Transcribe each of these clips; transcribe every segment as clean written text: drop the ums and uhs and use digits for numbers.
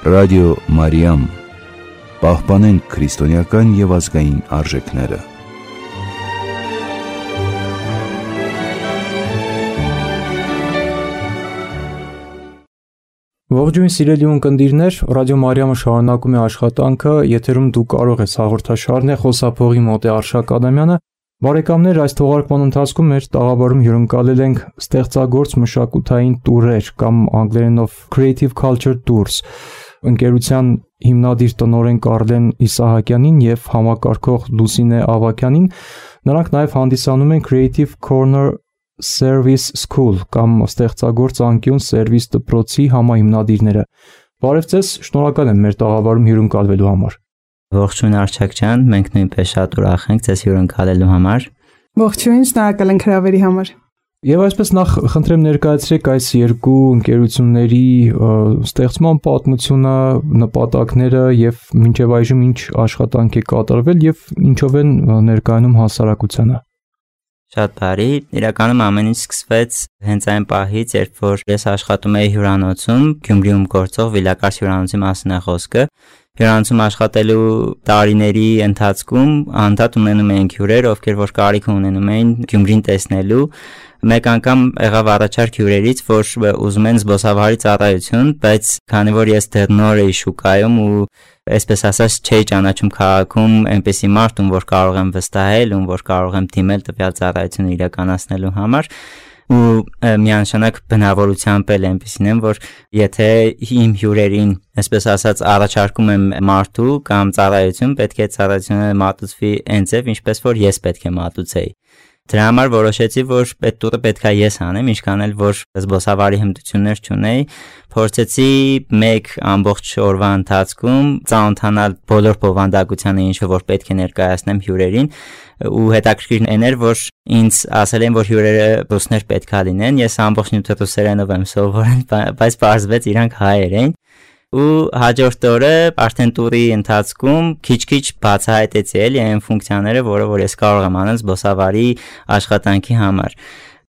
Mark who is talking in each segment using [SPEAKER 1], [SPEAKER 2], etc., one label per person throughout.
[SPEAKER 1] Ռադիո Մարիամ, պահպանենք քրիստոնեական և ազգային արժեքները։
[SPEAKER 2] Ողջույն սիրելի ունկնդիրներ, Ռադիո Մարիամը շարունակում է աշխատանքը, եթերում դու կարող ես հաղորդաշարն է, խոսափողի մոտ է Արշակ Ադամյանը։ Բարեկամներ, այս թողարկման ընթացքում մեր տաղավարում հյուրընկալել ենք ստեղծագործ մշակութային տուրեր կամ անգլերենով Creative Culture Tours ընկերության հիմնադիր տնօրեն Կարլեն Իսահակյանին եւ համակարգող Լուսինե Ավագյանին։ Նրանք նաև հանդիսանում են Creative Corner Service School կամ ստեղծագործ անկյուն սերվիս դպրոցի համահիմնադիրները։ Բարև ձեզ, շնորհակալ եմ մեր տաղավարում հյուրընկալվելու համար։
[SPEAKER 3] Ողջույն Արշակ ջան, մենք նույնպես շատ ուրախ ենք ձեզ հյուրընկալելու համար։
[SPEAKER 4] Ողջույն, շնորհակալ ենք հրավերի համար։
[SPEAKER 2] Եվ այսպես նախ խնդրեմ ներկայացրեք այս երկու ընկերությունների ստեղծման պատմությունը, նպատակները եւ մինչեւ այժմ ինչ աշխատանք է կատարվել եւ ինչով են ներկայանում հասարակությանը։
[SPEAKER 3] Շատ բարի, իրականում ամեն ինչ սկսվեց հենց այն պահից, երբ որ ես աշխատում էի հյուրանոցում, Գյումրիում գործող Վիլակարս հյուրանոցի մասին է խոսքը։ Հյուրանոցում աշխատելու տարիների ընթացքում անդադ ունենում էինք հյուրեր, ովքեր որ կարիք ունենում էին Գյումրին տեսնելու։ Մեկ անգամ եղավ առաջարկ հյուրերից, որ ուզում են զբոսավարի ծառայություն, բայց քանի որ ես դեռ նոր էի շուկայում ու այսպես ասած չէի ճանաչում քաղաքում այնպեսի մարդ, ում որ կարող եմ վստահել, ում որ կարող եմ դիմել տվյալ ծառայությունը իրականացնելու համար, ու միանշանակ բնավորությամբ էլ այնպեսին եմ, որ եթե իմ հյուրերին, այսպես ասած, առաջարկում եմ մարդու կամ ծառայություն, պետք է ծառայությունը մատուցվի այնձև, ինչպես որ ես պետք է մատուցեի։ Դրա համար որոշեցի, որ այդ տուրը պետք է ես անեմ, ինչքան էլ որ զբոսավարի հմտություններ չունեի, փորձեցի մեկ ամբողջ օրվա ընթացքում ծանոթանալ բոլոր բովանդակությանը, ինչը որ պետք է ներկայացնեմ հյուրերին, ու հետաքրքիրն էր, որ ինձ ասել են, որ հյուրերը ռուսներ պետք է լինեն, ես ամբողջ նյութը ռուսերենով եմ սովորել, բայց պարզվեց իրանք հայեր էին։ Ու հաջորդ օրը արդեն տուրի ընթացքում քիչ-քիչ բացահայտեցի էլի այն ֆունկցիաները, որը որ ես կարող եմ անել զբոսավարի աշխատանքի համար։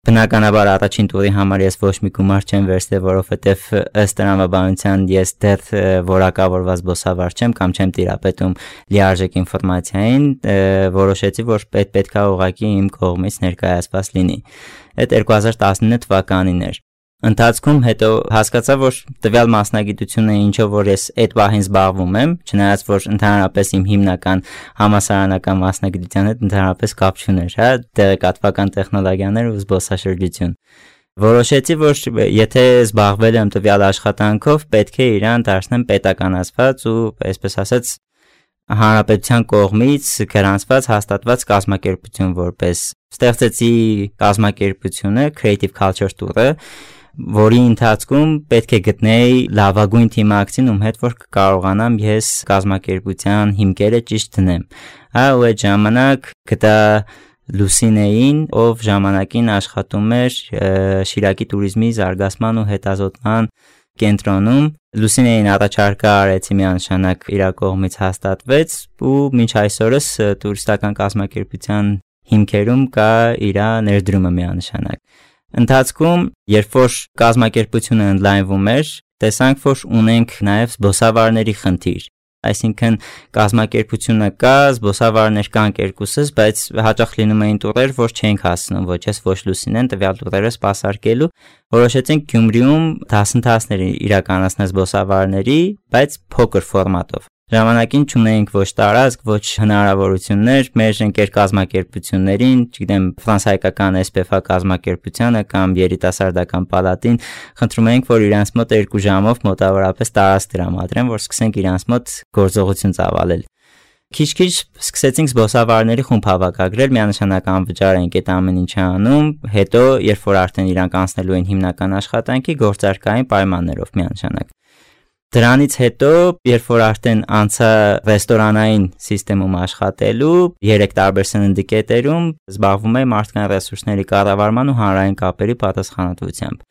[SPEAKER 3] Բնականաբար առաջին տուրի համար ես ոչ մի գումար չեմ վերցրել, որովհետև ըստ տրամաբանության ես դեռ որակավորված զբոսավար չեմ կամ չեմ տիրապետում լիարժեք ինֆորմացիային, որոշեցի, որ պետք է ուղղակի իմ կողմից ներկայացված լինի։ Այդ 2019 թվականին էր։ Ընթացքում հետո հասկացա, որ տվյալ մասնագիտությունը ինչով որ ես այդ պահին զբաղվում եմ, չնայած որ ընդհանրապես իմ հիմնական համասարանական մասնագիտության հետ ընդհանրապես կապ չուներ, հա, տեղեկատվական տեխնոլոգիաներ ու զբոսաշրջություն։ Որոշեցի, որ եթե զբաղվել եմ տվյալ աշխատանքով, պետք է իրան դարձնեմ պետականացված ու այսպես ասած հանրապետության կողմից գրանցված հաստատված կազմակերպություն որպես ստեղծեցի կազմակերպությունը Creative Culture Tour-ը, որի ընթացքում պետք է գտնեի լավագույն թիմակցին, ում հետ որ կարողանամ ես կազմակերպության հիմքերը ճիշտ դնեմ։ Ու այդ ժամանակ գտա Լուսինեին, ով ժամանակին աշխատում էր Շիրակի տուրիզմի զարգացման ու հետազոտման կենտրոնում։ Լուսինեին առաջարկը արեցի միանշանակ իր կողմից հաստատվեց ու մինչ այսօրս տուրիստական կազմակերպության հիմքերում կա իր ներդրումը միանշանակ։ Ընթացքում, երբ որ կազմակերպությունը ընդլայնվում էր, տեսանք, որ ունենք նաև զբոսավարների խնդիր։ Այսինքն կազմակերպությունը կա, զբոսավարներ կան երկուսս, բայց հաճախ լինում էին տուրեր, որ չենք հասնում ոչ ես ոչ Լուսինեն տվյալ տուրերը սպասարկելու։ Որոշեցինք Գյումրիում դասընթացներ իրականացնել զբոսավարների, բայց փոքր ֆորմատով։ Ժամանակին չունեինք ոչ տարածք, ոչ հնարավորություններ մեր ընկեր կազմակերպություններին, չգիտեմ, ֆրանսիական SPF կազմակերպությանը կամ երիտասարդական պալատին, խնդրում էինք, որ իրանց մոտ 2 ժամով մոտավորապես տարածք տրամադրեն, որ սկսենք իրանց մոտ գործողություն ծավալել։ Քիչ-քիչ սկսեցինք զբոսավարների խումբ հավաքագրել, միանշանակ անվճար ենք այդ ամեն ինչը անում, հետո երբ որ արդեն իրանք անցնելու են հիմնական աշխատանքի գործարկային պայմաններով միանշանակ։ Դրանից հետո, երբ որ արդեն անցա ռեստորանային համակարգում աշխատելու, 3 տարբեր սննդի կետերում զբաղվում եմ մարդկային ռեսուրսների կառավարման ու հանրային կապերի պատասխանատվությամբ։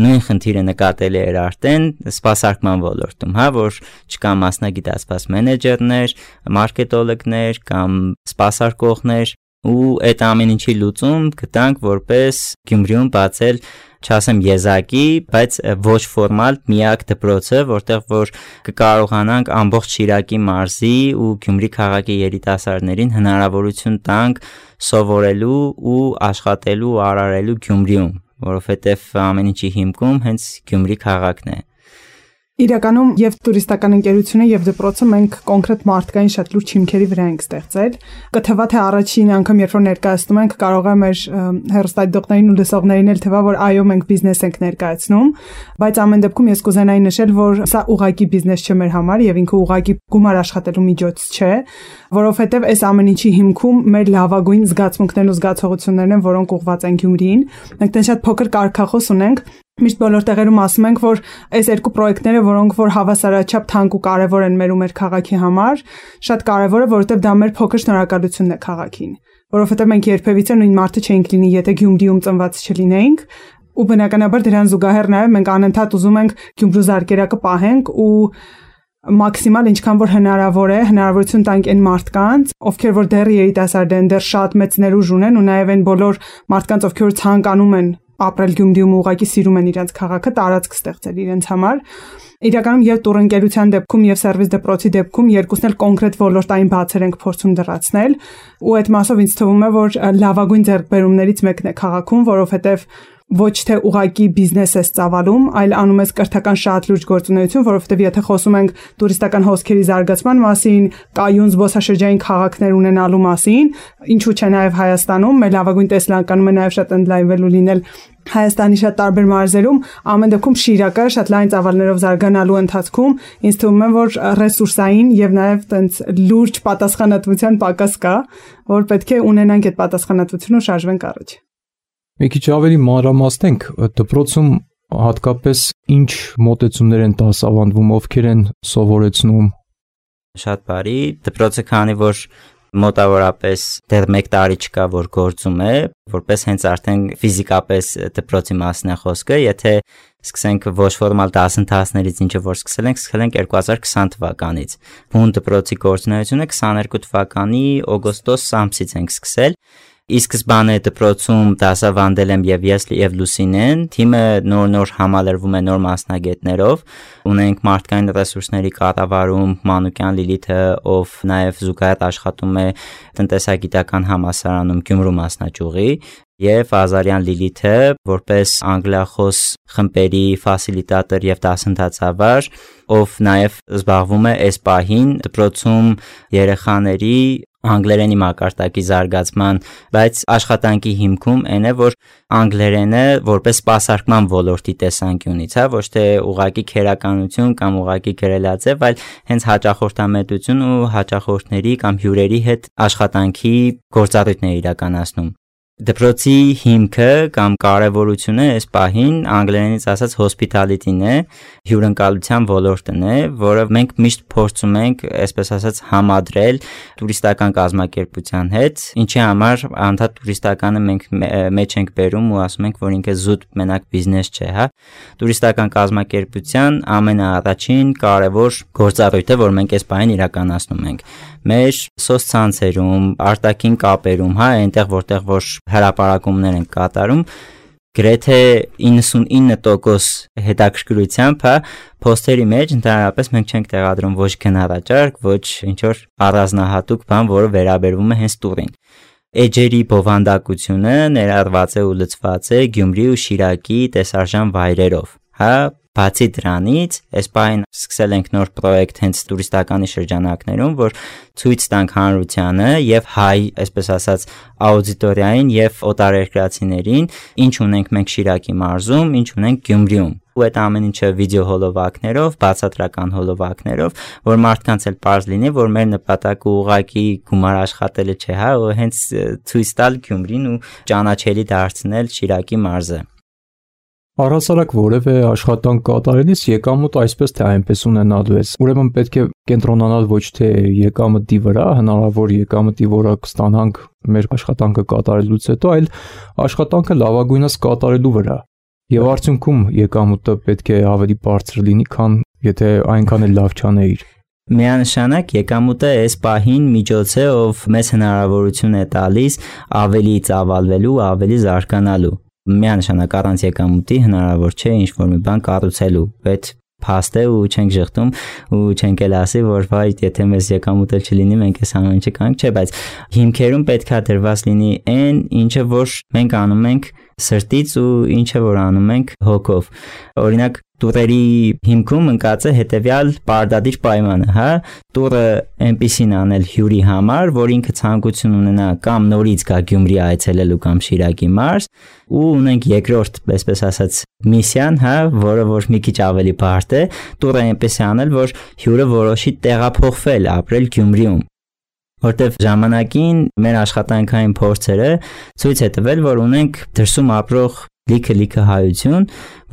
[SPEAKER 3] Նույն խնդիրը նկատելի էր արդեն սպասարկման ոլորտում, հա, որ չկա մասնագիտացված մենեջերներ, մարքետոլոգներ կամ սպասարկողներ, ու այդ ամեն ինչի լուծում գտանք որպես Գյումրիում բացել չասեմ եզակի, բայց ոչ ֆորմալ միակ դպրոցը, որտեղ որ կկարողանանք ամբողջ Շիրակի մարզի ու Գյումրի քաղաքի երիտասարդներին հնարավորություն տանք սովորելու ու աշխատելու ու արարելու Գյումրիում, որովհետև ամեն ինչի հիմքում հենց Գյումրի քաղաքն է։
[SPEAKER 4] Իրականում եւ տուրիստական ընկերությունը եւ դպրոցը մենք կոնկրետ մարդկային շատ լուրջ հիմքերի վրա ենք ստեղծել։ Կթվա թե առաջին անգամ երբ որ ներկայացնում ենք, կարող է մեր հեռուստադիտողներին ու լսողներին էլ թվա, որ այո մենք բիզնես ենք ներկայացնում, բայց ամեն դեպքում ես կուզենայի նշել, որ սա ուղղակի բիզնես չէ մեր համար եւ ինքը ուղղակի գումար աշխատելու միջոց չէ, որովհետեւ այս ամեն ինչի հիմքում մեր լավագույն զգացմունքներն ու զգացողություններն են, որոնք ուղղված են Գյումրիին։ Մենք դեռ շատ փոքր կարգախոս ունենք։ Միշտ բոլոր տեղերում ասում ենք, որ այս երկու պրոյեկտները, որոնք որ հավասարաչափ թանկ ու կարևոր են մեր ու մեր քաղաքի համար, շատ կարևոր է, որովհետև դա մեր փոքր շնորհակալությունն է քաղաքին, որովհետև մենք երբևիցե նույն մարդը չէինք լինի, եթե Գյումրիում ծնված չլինեինք, ու բնականաբար դրան զուգահեռ նաև մենք անընդհատ ուզում ենք Գյումրու զարկերակը պահենք ու մաքսիմալ ինչքան որ հնարավոր է հնարավորություն տանք այն մարդկանց, ովքեր որ դեռ երիտասարդ են, դեռ շատ մեծ ներուժ ունեն ու նաև այն բոլոր մարդկանց, ովքեր ցանկանում են ապրել Գյումրիում ու ուղղակի սիրում են իրենց քաղաքը, տարածք ստեղծել իրենց համար։ Իրականում եւ տուրընկերության դեպքում եւ սերվիս դպրոցի դեպքում երկուսն էլ կոնկրետ ոլորտային բացեր ենք փորձում դրացնել ու այդ մասով ինձ թվում է, որ լավագույն ձեռքբերումներից մեկն է քաղաքում, որովհետեւ ոչ թե ուղակի բիզնես ես ծավալում, այլ անում ես կրթական շատ լուրջ գործունեություն, որովհետև եթե խոսում ենք տուրիստական հոսքերի զարգացման մասին, կայուն զբոսաշրջային քաղաքներ ունենալու մասին, ինչու՞ չէ նաև Հայաստանում, մեր լավագույն տեսլանկանում է նաև շատ ընդլայնվել ու լինել Հայաստանի շատ տարբեր մարզերում, ամեն դեպքում Շիրակը շատ լայն ծավալներով զարգանալու ընթացքում ինձ թվում է, որ ռեսուրսային եւ նաև տենց լուրջ պատասխանատվության պակաս կա, որ պետք է ունենանք այդ պատասխանատվությունը ու շարժվենք առաջ։
[SPEAKER 2] Մի քիչ ավելի մանրամասնենք, դպրոցում հատկապես ինչ մոտեցումներ են դասավանդվում, ովքեր են սովորեցնում։
[SPEAKER 3] Շատ բարի, դպրոցը քանի որ մոտավորապես դեռ 1 տարի չկա, որ գործում է, որպես հենց արդեն ֆիզիկապես դպրոցի մասն է խոսքը, եթե սկսենք ոչ ֆորմալ դասընթացներից ինչը որ սկսել ենք 2020 թվականից։ Բուն դպրոցի գործունեությունը 22 թվականի օգոստոս ամսից ենք սկսել։ Իսկ սկզբանե դպրոցում դասավանդել եմ եւ ես եւ Լուսինեն, թիմը նոր համալրվում է նոր մասնագետներով, ունենք մարդկային ռեսուրսների կառավարում Մանուկյան Լիլիթը, ով նաեւ զուգահեռ աշխատում է տնտեսագիտական համալսարանում Գյումրու մասնաճյուղի, եւ Ազարյան Լիլիթը, որպես անգլիախոս խմբերի ֆասիլիտատոր եւ դասընթացավար, ով նաեւ զբաղվում է այս պահին դպրոցում երեխաների անգլերենի մակարդակի զարգացման, բայց աշխատանքի հիմքում այն է, որ անգլերենը որպես սպասարկման ոլորտի տեսանկյունից, ոչ թե ուղղակի քերականություն կամ ուղղակի գրելաձև, այլ հենց հաճախորդամետություն ու հաճախորդների կամ հյուրերի հետ աշխատանքի գործառույթներ իրականացնում։ Դպրոցի հիմքը կամ կարևորությունը այս պահին անգլերենից ասած hospitality-ն է, հյուրընկալության ոլորտն է, որը մենք միշտ փորձում ենք, այսպես ասած, համադրել տուրիստական կազմակերպության հետ, ինչի համար անդադ տուրիստականը մենք մեջ ենք բերում ու ասում ենք, որ ինքը զուտ մենակ բիզնես չէ, հա։ Տուրիստական կազմակերպության ամենաառաջին կարևոր գործառույթը, որ մենք այս պահին իրականացնում ենք, մեր սոցցանցերում, արտաքին կապերում, հա, այնտեղ որտեղ որ հրապարակումներ են կատարում, գրեթե 99% հետաքրքրությամբ, հա, post-երի մեջ ընդհանրապես մենք չենք տեղադրում ոչ գնահատարկ, ոչ ինչ որ առանձնահատուկ բան, որը վերաբերվում է հենց տուրին։ Էջերի բովանդակությունը ներառված է ու լցված է Գյումրի ու Շիրակի տեսարժան վայրերով, հա։ Բացի դրանից, այս պահին սկսել ենք նոր պրոյեկտ հենց տուրիստականի շրջանակներում, որ ցույց տանք հանրությանը եւ հայ, այսպես ասած, աուդիտորիային եւ օտարերկրացիներին, ինչ ունենք մենք Շիրակի մարզում, ինչ ունենք Գյումրիում։ Ու այդ ամեն ինչը վիդեո հոլովակներով, բացատրական հոլովակներով, որ մարդկանց էլ պարզ լինի, որ մեր նպատակը ուղղակի գումար աշխատելը չէ, հա, ու հենց ցույց տալ Գյումրին ու ճանաչելի դարձնել Շիրակի մարզը։
[SPEAKER 2] Առհասարակ որևէ աշխատանք կատարելիս եկամուտ այսպես թե այնպես ունենալու ես։ Ուրեմն պետք է կենտրոնանալ ոչ թե եկամտի վրա, հնարավոր եկամտի որակ ստանանք մեր աշխատանքը կատարելուց հետո, այլ աշխատանքը լավագույնս կատարելու վրա։ Եվ արդյունքում եկամուտը պետք է ավելի բարձր լինի, քան եթե այնքան էլ լավ չանեիր։
[SPEAKER 3] Միանշանակ եկամուտը այս պահին միջոց է, ով մեզ հնարավորություն է տալիս ավելի ծավալվելու, ավելի զարգանալու։ միանշանակ առանց եկամուտի հնարավոր չէ ինչ-որ մի բան կառուցելու, այդ փաստ է ու չենք ժխտում ու չենք էլ ասի, որ վայ, եթե մեզ եկամուտ չլինի, մենք այս ամեն ինչը կանք, չէ, բայց հիմքերում պետք է դրված լինի այն, ինչը որ մենք անում ենք սրտից ու ինչը որ անում ենք հոգով։ Օրինակ տուրերի հիմքում ընկած է հետևյալ պարտադիր պայմանը, հա, տուրը այնպիսին անել հյուրի համար, որ ինքը ցանկություն ունենա կամ նորից գա Գյումրի այցելելու կամ Շիրակի մարզ, ու ունենք երկրորդ, այսպես ասած, միսիան, հա, որը որ մի քիչ ավելի բարդ է, տուրը այնպես է անել, որ հյուրը որոշի տեղափոխվել, ապրել Գյումրիում։ Որտեվ ժամանակին մեր աշխատանքային փորձերը ցույց է տվել, որ ունենք դրսում ապրող լիքը հայություն,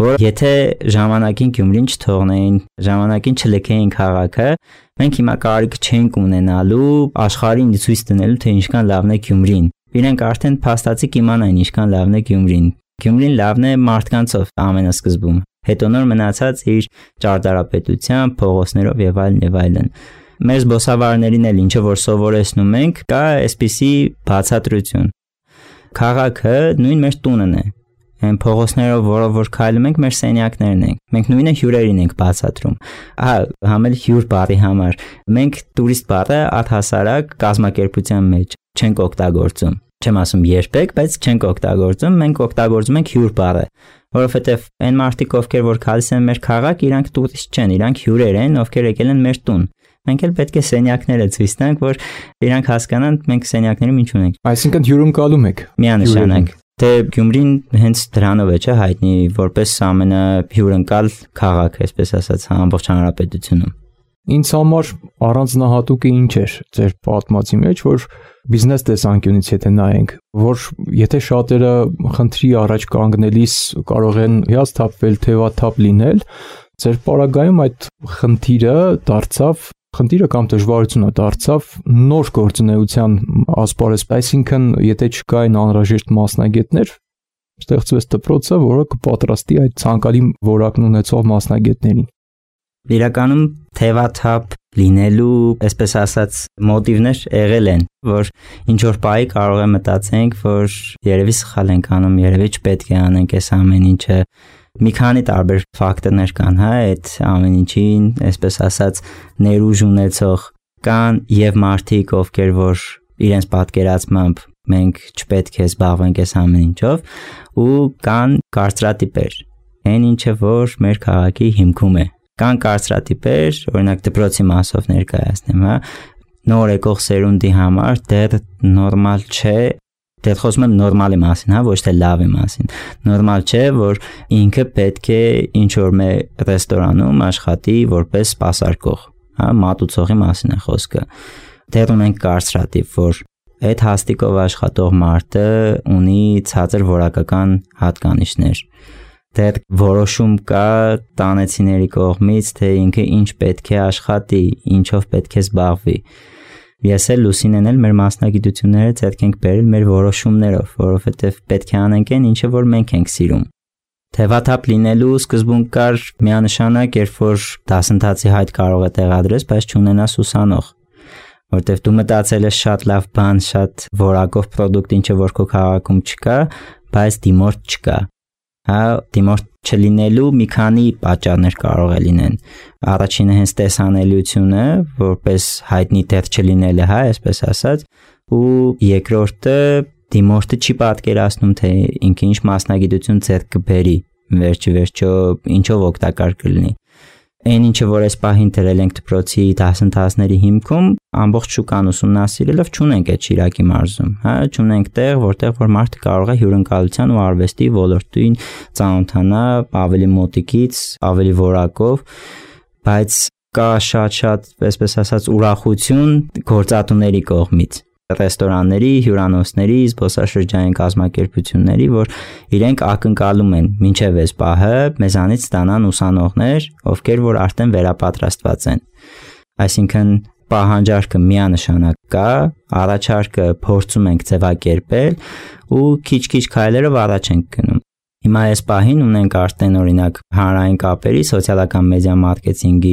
[SPEAKER 3] որ եթե ժամանակին Գյումրին չթողնեին, ժամանակին չլքեին քաղաքը, մենք հիմա կարիք չենք ունենալու աշխարհին ցույց տնելու, թե ինչքան լավն է Գյումրին։ Իրենք արդեն փաստացի կիմանային ինչքան լավն է Գյումրին։ Գյումրին լավն է մարդկանցով ամենասկզբում։ Հետո նոր մնացած իր ճարտարապետությամբ, փողոցներով եւ այլն։ Մեր զբոսավարներին էլ ինչը որ սովորեցնում ենք, կա այսպիսի բացատրություն։ Քաղաքը նույն մեր տունն է։ Այն փողոցներով, որով որ քայլում ենք, մեր սենյակներն են։ Մենք նույնը հյուրերին ենք բացատրում։ Համել հյուր բառի համար։ Մենք տուրիստ բառը առհասարակ կազմակերպության մեջ չենք օգտագործում։ Չեմ ասում երբեք, բայց չենք օգտագործում, մենք օգտագործում ենք հյուր բառը, որովհետև այն մարդիկ, ովքեր որ քալիս են մեր քաղաք, իրանք տուրիստ չեն, իրանք հյուրեր են, ովքեր եկել են մեր տուն։ Մենք էլ պետք է սենյակները ցույց տանք, որ իրանք հասկանան մենք սենյակներում ինչ ունենք։
[SPEAKER 2] Այսինքն հյուրընկալում եք։
[SPEAKER 3] Միանշանակ։ Դե Գյումրին հենց դրանով է չէ հայտնի որպես ամենահյուրընկալ քաղաք, այսպես ասած, ամբողջ հանրապետությունում։
[SPEAKER 2] Ինձ համար առանձնահատուկը ինչ էր ձեր պատմածի մեջ, որ բիզնես տեսանկյունից եթե նայենք, որ եթե շատերը խնդրի առաջ կանգնելիս կարող են հիասթափվել, թևաթափ լինել, ձեր պարագայում այդ խնդիրը կամ դժվարությունը դարձավ նոր գործունեության ասպարեզ, այսինքն եթե չկային անհրաժեշտ մասնագետներ, ստեղծվեց դպրոցը, որը կպատրաստի այդ ցանկալի որակն ունեցող մասնագետներին։
[SPEAKER 3] Իրականում թևաթափ լինելու, այսպես ասած, մոտիվներ եղել են, որ ինչ որ պահի կարող է մտածենք, որ երևի սխալ ենք անում, երևի չպետք է անենք այս ամեն ինչը։ Մի քանի տարբեր ֆակտորներ կան, հա, այդ ամեն ինչին, այսպես ասած, ներուժ ունեցող կան եւ մարդիկ, ովքեր որ իրենց պատկերացմամբ մենք չպետք է զբաղվենք այս ամեն ինչով, ու կան կարծրատիպեր, այն ինչը որ մեր քաղաքի հիմքում է։ Կան կարծրատիպեր, օրինակ դպրոցի մասով ներկայացնեմ, հա, նոր եկող սերունդի համար դեռ նորմալ չէ, դեռ խոսում եմ նորմալի մասին, հա, ոչ թե լավի մասին։ Նորմալ չէ, որ ինքը պետք է ինչ որ մի ռեստորանում աշխատի որպես սպասարկող, հա, մատուցողի մասին է խոսքը։ Դեռ ունենք կարծրատիպ, որ այդ հաստիկով աշխատող մարդը ունի ցածր որակական հատկանիշներ։ Դեռ որոշում կա տանեցիների կողմից, թե ինքը ինչ պետք է աշխատի, ինչով պետք է զբաղվի։ Ես էլ Լուսինեն էլ մեր մասնագիտությունները ձեռք ենք բերել մեր որոշումներով, որովհետև պետք է անենք այն, ինչը որ մենք ենք սիրում։ Թևաթափ լինելու սկզբում կար միանշանակ, երբ որ դասընթացի հայտ կարող է տեղադրես, բայց չունենաս ուսանող, որտեվ դու մտածել ես շատ լավ բան, շատ որակով պրոդուկտ, ինչը որ քո քաղաքում չկա, բայց դիմորդ չկա։ Հա, դիմորդ չլինելու մի քանի պատճառներ կարող է լինեն։ Առաջինը հենց տեսանելիությունը, որպես հայտնի տեղ չլինելը, հա, այսպես ասած, ու երկրորդը դիմորդը չի պատկերացնում, թե ինքը ինչ մասնագիտություն ձեռք կբերի, վերջիվերջո ինչով օգտակար կլինի։ Այն ինչը որ այս պահին դրել ենք դպրոցի դասընթացների հիմքում, ամբողջ շուկան ուսումնասիրելով չունենք այդ Շիրակի մարզում, հա, չունենք տեղ, որտեղ որ մարդը կարող է հյուրընկալության ու արվեստի ոլորտին ծանոթանա ավելի մոտիկից, ավելի որակով, բայց կա շատ, այսպես ասած, ուրախություն գործատուների կողմից, ռեստորանների, հյուրանոցների, զբոսաշրջային կազմակերպությունների, որ իրենք ակնկալում են մինչև այս պահը մեզանից ստանան ուսանողներ, ովքեր որ արդեն վերապատրաստված են։ Այսինքն պահանջարկը միանշանակ կա, առաջարկը փորձում ենք ձևակերպել ու քիչ-քիչ քայլերով առաջ ենք գնում։ Հիմա այս պահին ունենք արդեն օրինակ հանրային կապերի, սոցիալական մեդիա մարքեթինգի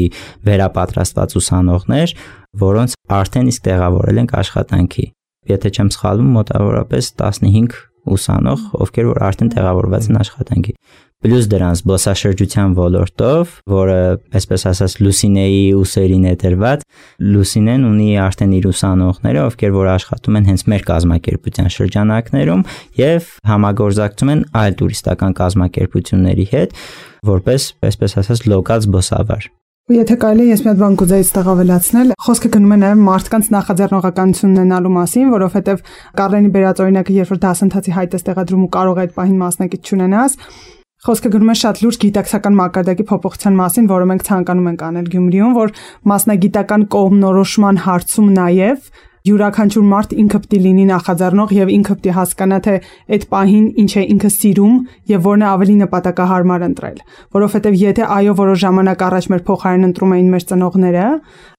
[SPEAKER 3] վերապատրաստված ուսանողներ, որոնց արդեն իսկ տեղավորել ենք աշխատանքի։ Եթե չեմ սխալվում, մոտավորապես 15 ուսանող, ովքեր որ արդեն տեղավորված են աշխատանքի։ Պլյուս դրանց զբոսաշրջության ոլորտով, որը, այսպես ասած, Լուսինեի ուսերին է դրված, Լուսինեն ունի արդեն իր ուսանողները, ովքեր որ աշխատում են հենց մեր կազմակերպության շրջանակներում եւ համագործակցում են այլ տուրիստական կազմակերպությունների հետ, որպես, այսպես ասած, լոկալ զբոսավար։
[SPEAKER 4] Եթե կարելի է ես մի հատ բան կուզեի այստեղ ավելացնել, խոսքը գնում է նաև մարդկանց նախաձեռնողականություն ունենալու մասին, որովհետև Կարլենի բերած օրինակը, երբ որ դասընթացի հայտ ես տեղադրում ու կարող է այդ պահին մասնակից չունենաս, խոսքը գնում է շատ լուրջ գիտակցական մակարդակի փոփոխության մասին, որը մենք ցանկանում ենք անել Գյումրիում, որ մասնագիտական կողմնորոշման հարցում նաև յուրաքանչյուր մարդ ինքը պետք է լինի նախաձեռնող եւ ինքը պետք է հասկանա թե այդ պահին ինչ է ինքը սիրում եւ որն է ավելի նպատակահարմար ընտրել, որովհետեւ եթե այո որոշ ժամանակ առաջ մեր փոխարեն ընտրում էին մեր ծնողները,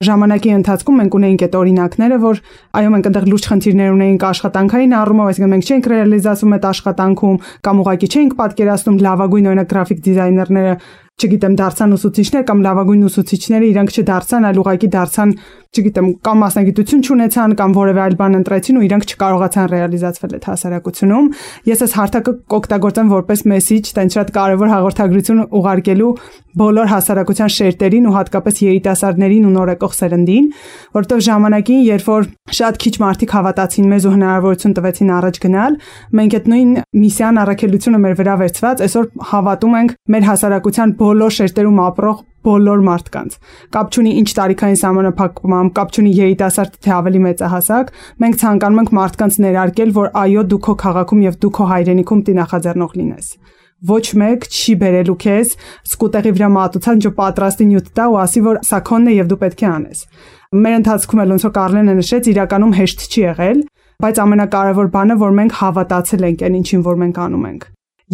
[SPEAKER 4] ժամանակի ընթացքում մենք ունեինք այդ օրինակները, որ այո մենք այնտեղ լուրջ խնդիրներ ունեինք աշխատանքային առումով, այսինքն մենք չենք ռեալիզացում այդ աշխատանքում կամ ուղղակի չենք պատկերացնում լավագույն օրինակ գրաֆիկ դիզայներները չգիտեմ դարձան ուսուցիչներ կամ լավագույն ուսուցիչները իրանք չդարձան, այլ ուղղակի դարձան, չգիտեմ, կամ մասնագիտություն չունեցան կամ որևէ այլ բան ընտրեցին ու իրանք չկարողացան ռեալիզացվել այդ հասարակությունում։ Ես այս հարթակը կօգտագործեմ որպես մեսիջ, տենց շատ կարևոր հաղորդագրություն ուղարկելու բոլոր հասարակության շերտերին ու հատկապես երիտասարդներին ու նորեկող սերնդին, որովհետև ժամանակին, երբ որ շատ քիչ մարդիկ հավատացին մեզ ու հնարավորություն տվեցին առաջ գնալ, մենք այդ նույն միսիան առաքելությունը մեր վրա վերցված այսօր հավատում ենք մեր հասարակության բոլոր շերտերում ապրող բոլոր մարդկանց։ Կապ չունի ինչ տարիքային սահմանափակմամբ, կապ չունի երիտասարդ թե ավելի մեծահասակ, մենք ցանկանում ենք մարդկանց ներարկել, որ այո, դու քո քաղաքում եւ դու քո հայրենիքում պիտի նախաձեռնող լինես։ Ոչ մեկ չի բերելու քեզ սկուտեղի վրա մատուցան ջո պատրաստի նյութ տա ու ասի, որ սա քոնն է եւ դու պետք է անես։ Մեր ընթացքում էլ ոնց որ Կարլենը նշեց, իրականում հեշտ չի եղել, բայց ամենակարևոր բանը, որ մենք հավատացել ենք այն ինչին, որ մենք անում ենք։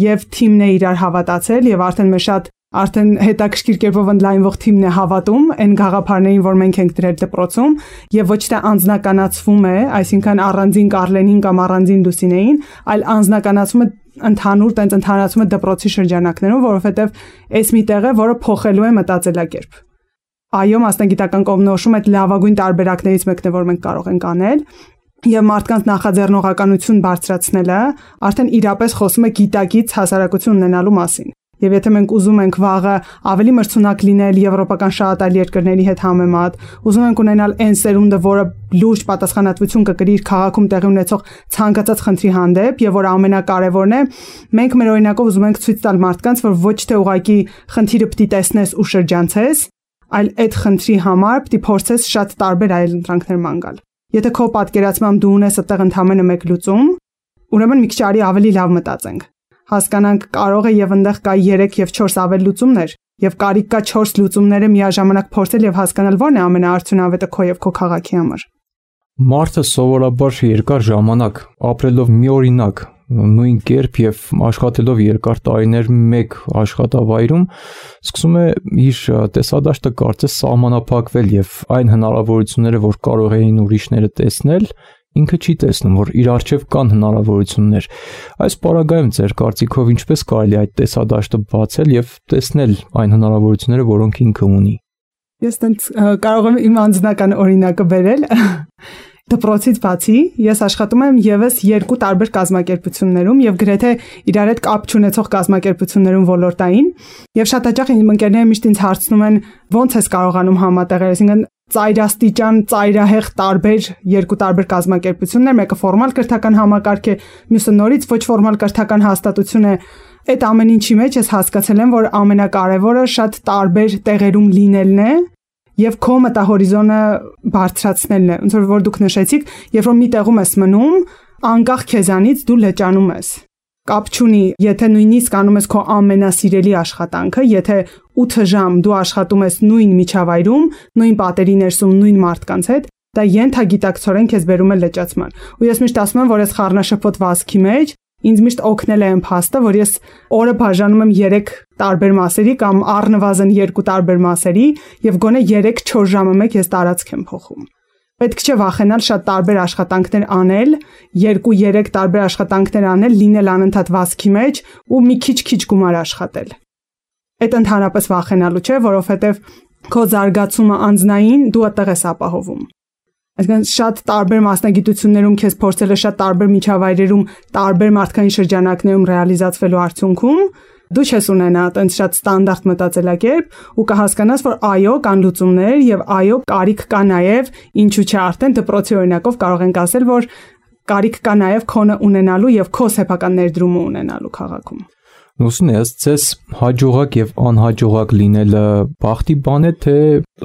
[SPEAKER 4] Եվ թիմն է իրար հավատացել եւ արդեն մեր շատ արդեն հետաքրքիր կերպով ընդլայնվող թիմն է հավատում այն գաղափարներին, որ մենք ենք դրել դպրոցում եւ ոչ թե անձնականացվում է, այսինքն առանձին Կարլենին կամ առանձին Լուսինեին, այլ անձնականացում է ընդհանուր տենց ընդհանրացում է դպրոցի շրջանակներում, որովհետեւ այս մի տեղ է, որը փոխելու է մտածելակերպ։ Այո, մասնագիտական կողմնորոշում այդ լավագույն տարբերակներից մեկն է, որ մենք կարող ենք անել։ Եվ մարդկանց նախաձեռնողականություն բարձրացնելը արդեն իրապես խոսում է գիտակից հասարակություն ունենալու մասին։ Եվ եթե մենք ուզում ենք վաղը ավելի մրցունակ լինել եվրոպական շատ այլ երկրների հետ համեմատ, ուզում ենք ունենալ այն սերունդը, որը լուրջ պատասխանատվություն կկրի իր քաղաքում տեղի ունեցող ցանկացած խնդրի հանդեպ, եւ որ ամենակարևորն է, մենք մեր օրինակով ուզում ենք ցույց տալ մարդկանց, որ ոչ թե ուղղակի խնդիրը պիտի տեսնես ու շրջանցես, այլ այդ խնդրի համար պիտի փորձես շատ տարբեր այլ ընտրանքներ ման գալ։ Եթե քո պատկերացմամբ դու ունես այդտեղ ընդամենը մեկ լուծում, ուրեմն մի քիչ արի ավելի լավ մտածենք։ Հասկանանք կարող է եւ այնտեղ կա 3 եւ 4 ավել լուծումներ եւ կարիք կա 4 լուծումները միաժամանակ փորձել եւ հասկանալ որն է ամենաարդյունավետը քո եւ քո քաղաքի համար։
[SPEAKER 2] Մարդը սովորաբար երկար ժամանակ ապրելով միօրինակ նույն կերպ եւ աշխատելով երկար տարիներ մեկ աշխատավայրում սկսում է իր տեսադաշտը կարծես սահմանափակվել եւ այն հնարավորությունները, որ կարող էին ուրիշները տեսնել, ինքը չի տեսնում, որ իր առջև կան հնարավորություններ։ Այս պարագայում ձեր կարծիքով ինչպես կարելի այդ տեսադաշտը բացել եւ տեսնել այն հնարավորությունները, որոնք ինքը ունի։
[SPEAKER 4] Ես տենց կարող եմ իմ անձնական օրինակը բերել։ Դպրոցից բացի ես աշխատում եմ եւս 2 տարբեր կազմակերպություններում եւ գրեթե իրար հետ կապ չունեցող կազմակերպություններում ոլորտային եւ շատ հաճախ իմ ընկերները միշտ ինձ հարցնում են ո՞նց ես կարողանում համատեղել, այսինքն ծայրաստիճան, ծայրահեղ տարբեր 2 տարբեր կազմակերպություններ, մեկը ֆորմալ կրթական համակարգ է, մյուսը նորից ոչ ֆորմալ կրթական հաստատություն է։ Այդ ամեն ինչի մեջ ես հասկացել եմ, որ ամենակարևորը շատ տարբեր տեղերում լինելն է եւ քո մտահորիզոնը բարձրացնելն է։ Ոնց որ դուք նշեցիք, երբ որ մի տեղում ես մնում, անկախ քեզանից դու լճանում ես։ Կապ չունի, եթե նույնիսկ անում ես քո ամենասիրելի աշխատանքը, եթե 8 ժամ դու աշխատում ես նույն միջավայրում, նույն պատերի ներսում, նույն մարդկանց հետ, դա ենթագիտակցորեն քեզ բերում է լճացման։ Ու ես միշտ ասում եմ, որ այս խառնաշփոթ վազքի մեջ ինձ միշտ օգնել է այն փաստը, որ ես օրը բաժանում եմ 3 տարբեր մասերի կամ առնվազն 2 տարբեր մասերի եւ գոնե 3-4 ժամը մեկ ես տարածք եմ փոխում։ Պետք չէ վախենալ շատ տարբեր աշխատանքներ անել, 2-3 տարբեր աշխատանքներ անել, լինել անընդհատ վազքի մեջ ու մի քիչ գումար աշխատել։ Այդ ընդհանրապես վախենալու չէ, որովհետեւ քո զարգացումը անձնային դու այդտեղ ես ապահովում։ Այսինքն շատ տարբեր մասնագիտություններում քեզ փորձել է շատ տարբեր միջավայրերում, տարբեր մարդկային շրջանակներում ռեալիզացվելու արդյունքում դու չես ունենա այդպես շատ ստանդարտ մտածելակերպ ու կհասկանաս, որ այո, կան լուծումներ եւ այո, կարիք կա նաեւ, ինչու՞ չէ արդեն դպրոցի օրինակով կարող ենք ասել, որ կարիք կա նաեւ քոնը ունենալու եւ քո սեփական ներդրումը ունենալու քաղաքում։
[SPEAKER 2] Լուսինե, ըստ ձեզ հաջողակ եւ անհաջողակ լինելը բախտի բան է, թե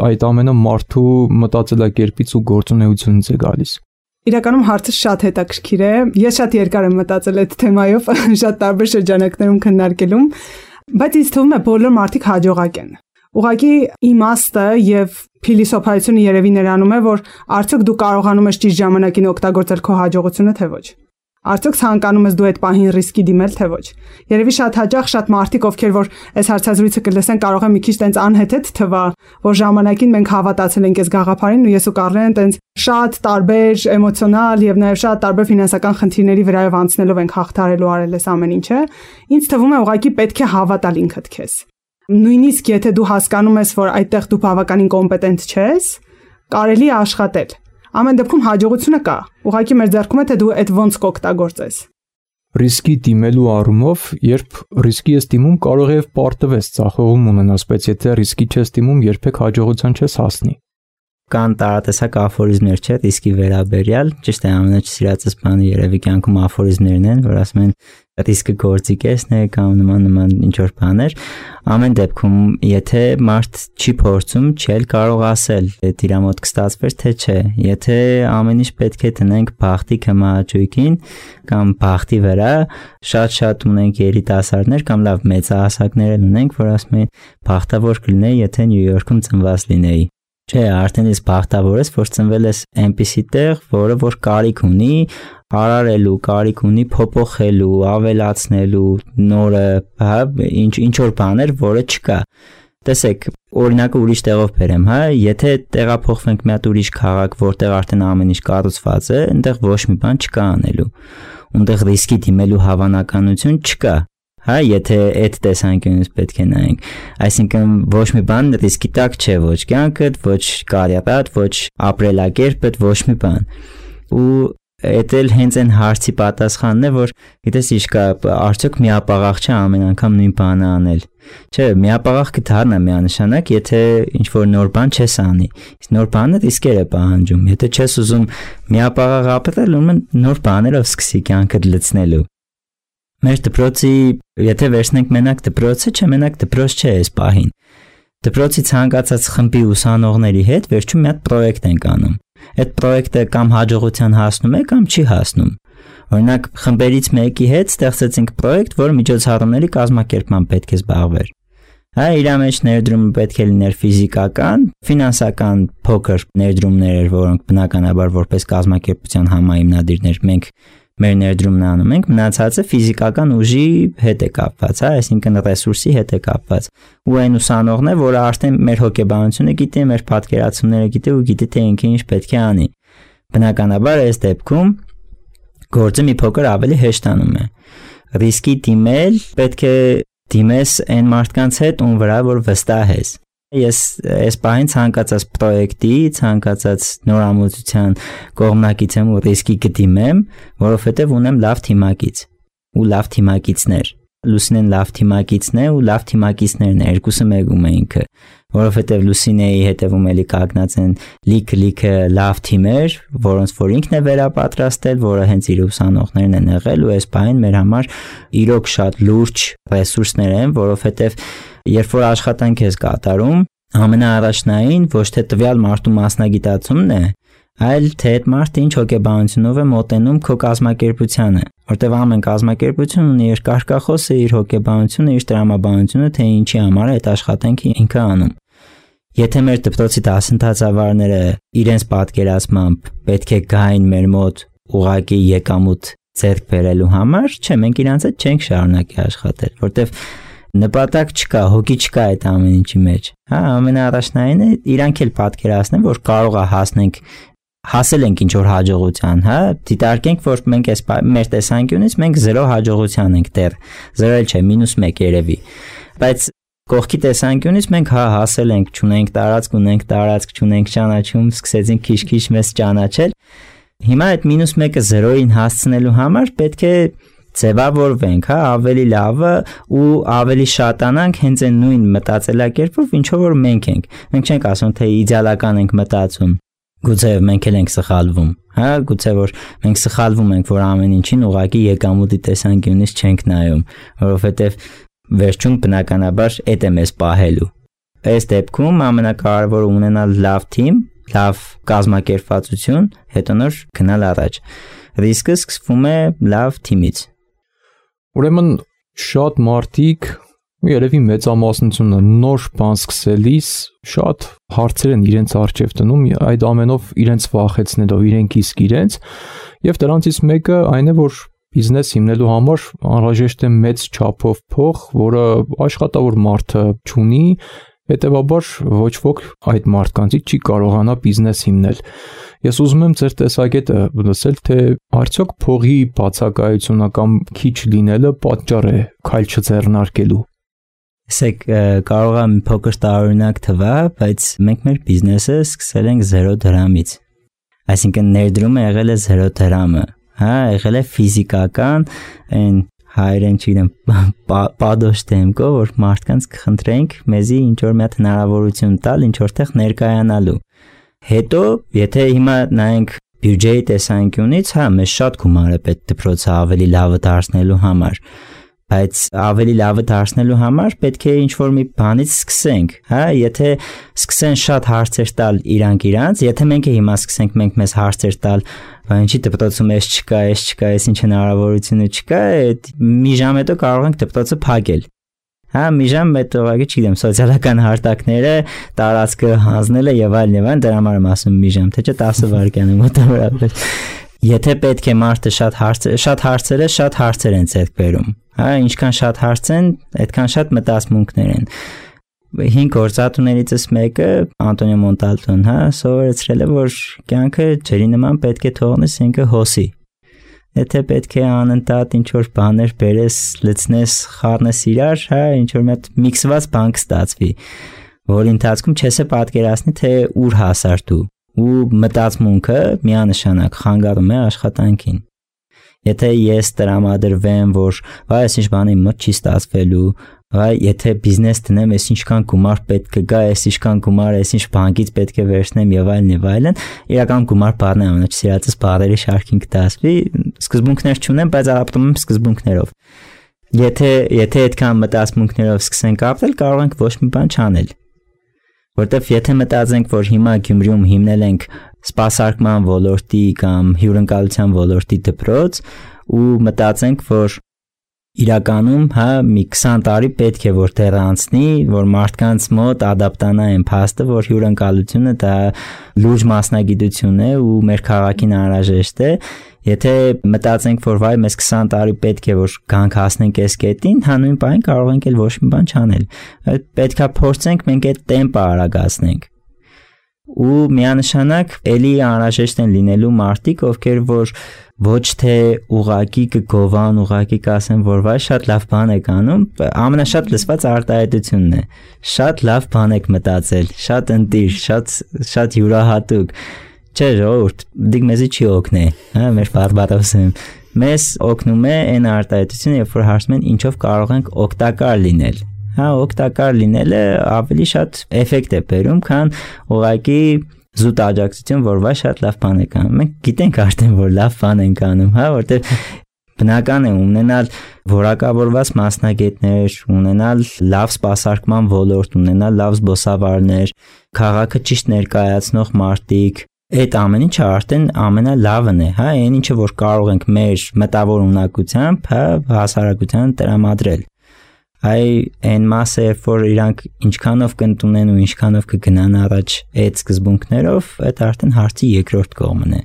[SPEAKER 2] այդ ամենը մարդու մտածելակերպից ու գործունեությունից է գալիս։
[SPEAKER 4] Իրականում հարցը շատ հետաքրքիր է։ Ես շատ երկար եմ մտածել այդ թեմայով, շատ տարբեր շրջանակներում քննարկելում, բայց ինձ թվում է բոլոր մարդիկ հաջողակ են։ Ուղղակի իմաստը եւ փիլիսոփայությունը երևի նրանում է, որ արդյոք դու կարողանում ես ճիշտ ժամանակին օգտագործել քո հաջողությունը, թե ոչ։ Արդյոք ցանկանում ես դու այդ պահին ռիսկի դիմել, թե ոչ։ Երևի շատ հաճախ շատ մարդիկ, ովքեր որ այս հարցազրույցը կլսեն, կարող է մի քիչ տենց անհեթեթ թվա, որ ժամանակին մենք հավատացել ենք այս գաղափարին ու ես ու Կարլեն տենց շատ տարբեր էմոցիոնալ եւ նաեւ շատ տարբեր ֆինանսական խնդիրների վրայով անցնելով ենք հաղթարելու արել այս ամեն ինչը։ Ինձ թվում է ուղղակի պետք է հավատալ ինքդ քեզ։ Նույնիսկ եթե դու հասկանում ես, որ այդտեղ դու բավականին կոմպետենտ չես, կարելի է աշխատել։ Ամեն դեպքում հաջողությունը կա։ Ուղղակի մեր ձեռքում է, թե դու այդ ոնց կօգտագործես։
[SPEAKER 2] Ռիսկի դիմելու առումով, երբ ռիսկի ես դիմում, կարող է պարտվես ծախողում ունենաս, բայց եթե ռիսկի չես դիմում, երբեք հաջողության չես հասնի։
[SPEAKER 3] Կան տարատեսակ աֆորիզմներ, չէ՞, ռիսկի վերաբերյալ, ճիշտ է, ամենաչսիրածս բանը երևի կյանքում աֆորիզմներն են, որ ասում են ռիսկը գործիքեսն է կամ նման ինչ որ բաներ։ Ամեն դեպքում, եթե մարդ չի փորձում, չի կարող ասել, թե իր մոտ կստացվեր, թե չէ։ Եթե ամեն ինչ պետք է տնենք բախտի կմաճույքին կամ բախտի վրա, շատ ունենք երիտասարդներ կամ լավ մեծահասակներ ունենք, որ ասում են բախտավոր կլինեի, եթե Նյու Յորքում ծնված լինեի։ Չէ, արդեն ես բախտավոր ես, որ ծնվել ես այնպիսի տեղ, որը որ կարիք ունի արարելու, կարիք ունի փոփոխելու, ավելացնելու, նորը, հա, ինչ որ բաներ, որը չկա։ Տեսեք, օրինակը ուրիշ տեղով բերեմ, հա, եթե տեղափոխվենք մի հատ ուրիշ քաղաք, որտեղ արդեն ամեն ինչ կառուցված է, այնտեղ ոչ մի բան չկա անելու։ Այնտեղ ռիսկի դիմելու հավանականություն չկա։ Հա, եթե այդ տեսանկյունից պետք է նայենք, այսինքն ոչ մի բան ռիսկի տակ չէ, ոչ կյանքդ, ոչ կարիերատ, ոչ ապրելակերպդ, ոչ մի բան։ Ու այդ էլ հենց այն հարցի պատասխանն է, որ գիտես ինչ կա, արդյոք միապաղաղ չէ ամեն անգամ նույն բանը անել։ Չէ, միապաղաղ կդառնա միանշանակ, եթե ինչ որ նոր բան չես անի։ Իսկ նոր բանը ռիսկեր է պահանջում։ Եթե չես ուզում միապաղաղ ապրել, ուրեմն նոր բաներով սկսի կյանքդ լցնելու։ Մեր դպրոցի, եթե վերցնենք մենակ դպրոցը, չէ, մենակ դպրոց չէ այս պահին։ Դպրոցի ցանկացած խմբի ուսանողների հետ վերջում մի հատ պրոյեկտ ենք անում։ Այդ պրոյեկտը կամ հաջողության հասնում է, կամ չի հասնում։ Օրինակ, խմբերից մեկի հետ ստեղծեցինք պրոյեկտ, որը միջոցառումների կազմակերպման պետք է զբաղվեր։ Հա, իր մեջ ներդրումը պետք է լիներ ֆիզիկական, ֆինանսական փոքր ներդրումներ էր, որոնք բնականաբար որպես կազմակերպության համահիմնադիրներ մենք մեր ներդրումն անում ենք, մնացածը ֆիզիկական ուժի հետ է կապված, հա, այսինքն ռեսուրսի հետ է կապված։ Ու այն ուսանողն է, որը արդեն մեր հոգեբանությունը գիտի, մեր պատկերացումները գիտի ու գիտի թե ինքը ինչ պետք է անի։ Բնականաբար այս դեպքում գործը մի փոքր ավելի հեշտանում է։ Ռիսկի դիմել պետք է դիմես այն մարդկանց հետ, ում վրա որ վստահ ես։ Ես այս պահին ցանկացած պրոյեկտի, ցանկացած նորամուծության կողմնակից եմ ու ռիսկի կդիմեմ, որովհետև ունեմ լավ թիմակից ու լավ թիմակիցներ։ Լուսինեն լավ թիմակիցն է ու լավ թիմակիցներն է, երկուսը մեկում է ինքը, որովհետև Լուսինեի հետևում էլի կանգնած են լիքը լավ թիմեր, որոնց որ ինքն է վերապատրաստել, որը հենց իր ուսանողներն են եղել ու այս պահին մեր համար իրոք շատ լուրջ ռեսուրսներ են, որովհետև երբ որ աշխատանք ես կատարում, ամենաառաջնային ոչ թե տվյալ մարդու մասնագիտացումն է, այլ թե այդ մարդը ինչ հոգեբանությունով է մոտենում քո կազմակերպությանը, որտեղ ամեն կազմակերպություն ունի իր կարգախոսը, իր հոգեբանությունը, իր տրամաբանությունը, թե ինչի համար է այդ աշխատանքը ինքը անում։ Եթե մեր դպրոցի դասընթացավարները իրենց պատկերացմամբ պետք է գային մեր մոտ ուղղակի եկամուտ ձեռք բերելու համար, չէ, մենք իրանց հետ չենք շարունակի աշխատել, որտեղ նպատակ չկա, հոգի չկա այդ ամեն ինչի մեջ։ Հա, ամենաառաջնայինը իրանք էլ պատկերացնեն, որ կարող է հասել ենք ինչ որ հաջողության, հա, դիտարկենք, որ մենք այս մեր տեսանկյունից մենք 0 հաջողության ենք դեռ, 0 չէ, -1 երևի, բայց Կողքի տեսանկյունից մենք հասել ենք, չունենք տարածք, ունենք տարածք, չունենք ճանաչում, սկսեցինք քիչ-քիչ մեզ ճանաչել։ Հիմա այդ -1-ը 0-ին հասցնելու համար պետք է ձևավորվենք, ավելի լավը ու ավելի շատանանք հենց այն նույն մտածելակերպով, ինչով որ մենք ենք։ Մենք չենք ասում, թե իդեալական ենք մտածում։ Գուցե մենք էլ ենք սխալվում, գուցե որ մենք սխալվում ենք, որ ամեն ինչին ուղղակի եկամուտի տեսանկյունից չենք նայում, որովհետև վերջում բնականաբար այդ է մեզ պահելու։ Այս դեպքում ամենակարևորը ունենալ լավ թիմ, լավ կազմակերպվածություն, հետո նոր գնալ առաջ։ Ռիսկը սկսվում է լավ թիմից։
[SPEAKER 2] Ուրեմն շատ մարդիկ երևի մեծամասնությունը նոր բան սկսելիս շատ հարցեր են իրենց առջև դնում, այդ ամենով իրենց վախեցնելով իրենք իսկ իրենց, եւ դրանցից մեկը այն է, որ բիզնես հիմնելու համար անհրաժեշտ է մեծ չափով փող, որը աշխատավոր մարդը չունի, հետեւաբար ոչ ոք այդ մարդկանցից չի կարողանա բիզնես հիմնել։ Ես ուզում եմ ձեր տեսակետը լսել, թե արդյոք փողի բացակայությունը կամ քիչ լինելը պատճառ է քայլ չձեռնարկելու։
[SPEAKER 3] Ասեք, կարող է մի փոքր տարօրինակ թվա, բայց մենք մեր բիզնեսը սկսել ենք 0 դրամից։ Այսինքն ներդրումը եղել է 0 դրամը, եղել է ֆիզիկական, այն հայերեն չգիտեմ, պատոշ դեմքով, որ մարդկանց կխնդրենք մեզի ինչ որ մի հատ հնարավորություն տալ, ինչ որտեղ ներկայանալու։ Հետո, եթե հիմա նայենք բյուջեի տեսանկյունից, մեզ շատ գումար է պետք դպրոցը ավելի լավը դարձնելու համար, բայց ավելի լավը դարձնելու համար պետք է ինչ-որ մի բանից սկսենք, եթե սկսեն շատ հարցեր տալ իրանց, եթե մենք հիմա սկսենք մենք մեզ հարցեր տալ, ինչի դպրոցում էս չկա, էս ինչ հնարավորություն չկա, մի ժամ հետո կարող ենք դպրոցը փակել։ Մի ժամ հետո ուղղակի չգիտեմ, սոցիալական հարթակները, տարածքը հանձնելը եւ այլն, դրա համար եմ ասում մի ժամ, թե չէ 10 վայրկյան է մոտավորապես։ Եթե պետք է մարդը շատ հարցեր են ձեռք բերում, ինչքան շատ հարց են, այդքան շատ մտածմունքներ են։ 5 գործատուներիցս մեկը Անտոնիո Մոնտալտոն, սովորեցրել է, որ կյանքը ջրի նման պետք է թողնես ինքը հոսի։ Եթե պետք է անընդհատ ինչ որ բաներ բերես, լցնես, խառնես իրար, ինչ որ մի հատ միքսված բան կստացվի, որի ընթացքում չես է պատկերացնի, թե ուր հասար դու, ու մտածմունքը միանշանակ խանգարում է աշխատանքին։ Եթե ես տրամադրվեմ, որ այս ինչ բանի մոտ չի ստացվելու, եթե բիզնես տնեմ, այս ինչքան գումար պետք է գա, այս ինչքան գումար, այս ինչ բանկից պետք է վերցնեմ եւ այլն, իրական գումար բառն է ամենասիրածս բառերի շարքին կդասվի, սկզբունքներ չունեմ, բայց ապրում եմ սկզբունքներով։ Եթե այդքան մտածմունքներով սկսենք ապրել, կարող ենք ոչ մի բան չանել։ Որտեվ եթե մտածենք, որ հիմա Գյումրիում հիմնել ենք սպասարկման ոլորտի կամ հյուրընկալության ոլորտի դպրոց ու մտածենք, որ իրականում մի 20 տարի պետք է որ դեռ անցնի, որ մարդկանց մոտ ադապտանա այն փաստը, որ հյուրընկալությունը դա լուրջ մասնագիտություն է ու մեր քաղաքին անհրաժեշտ է, եթե մտածենք, որ մեզ 20 տարի պետք է որ գանք հասնենք այս կետին, նույն բան կարող ենք էլ ոչ մի բան չանել։ Պետքա փորձենք մենք այդ տեմպը արագացնենք։ Ու միանշանակ էլի անհրաժեշտ են լինելու մարդիկ, ովքեր որ ոչ թե ուղակի կգովան, ուղակի կասեն, որ շատ լավ բան եք անում, ամենաշատ լսված արտահայտությունն է։ Շատ լավ բան եք մտածել, շատ ընտիր, շատ յուրահատուկ։ Չէ, ժողովուրդ, դիք մեզի չի օգնի, մեր բարբարոսը։ Մեզ օգնում է այն արտահայտությունը, երբ որ հարցնում են ինչով կարող ենք օգտակար լինել։ Օգտակար լինելը ավելի շատ էֆեկտ է բերում, քան ուղղակի զուտ աջակցություն, որ շատ լավ բան եք անում։ Մենք գիտենք արդեն, որ լավ բան ենք անում, որտեղ բնական է ունենալ որակավորված մասնագետներ, ունենալ լավ սպասարկման ոլորտ, ունենալ լավ զբոսավարներ, քաղաքը ճիշտ ներկայացնող մարդիկ։ Այդ ամեն ինչը արդեն ամենալավն է, այն ինչը որ կարող ենք մեր մտավոր ունակությամբ, հասարակության տրամադրել։ Այն մասը, որ իրանք ինչքանով կընդունեն ու ինչքանով կգնան առաջ այդ սկզբունքներով, այդ արդեն հարցի երկրորդ կողմն է։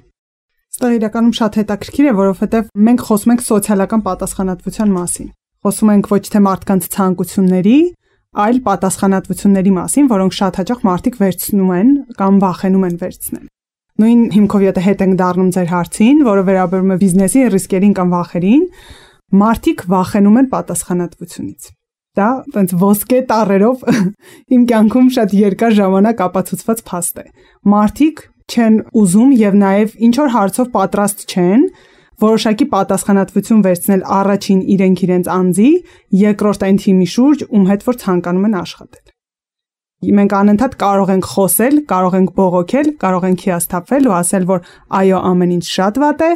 [SPEAKER 4] Սա իրականում շատ հետաքրքիր է, որովհետև մենք խոսում ենք սոցիալական պատասխանատվության մասին։ Խոսում ենք ոչ թե մարդկանց ցանկությունների, այլ պատասխանատվությունների մասին, որոնք շատ հաճախ մարդիկ վերցնում են կամ վախենում են վերցնել։ Նույն հիմքով եթե հետ ենք դառնում ձեր հարցին, որը վերաբերում է բիզնեսի ռիսկերին կամ վախերին, մարդիկ վախենում են պատասխանատվությունից։ Դա այնց ոսկե տառերով իմ կյանքում շատ երկար ժամանակ ապացուցված փաստ է։ Մարդիկ չեն ուզում եւ նաեւ ինչ որ հարցով պատրաստ չեն որոշակի պատասխանատվություն վերցնել առաջին իրենց անձի, երկրորդ այն թիմի շուրջ, ում հետ որ ցանկանում են աշխատել։ Մենք անընդհատ կարող ենք խոսել, կարող ենք բողոքել, կարող ենք հիասթափվել ու ասել, որ այո, ամեն ինչ շատ վատ է,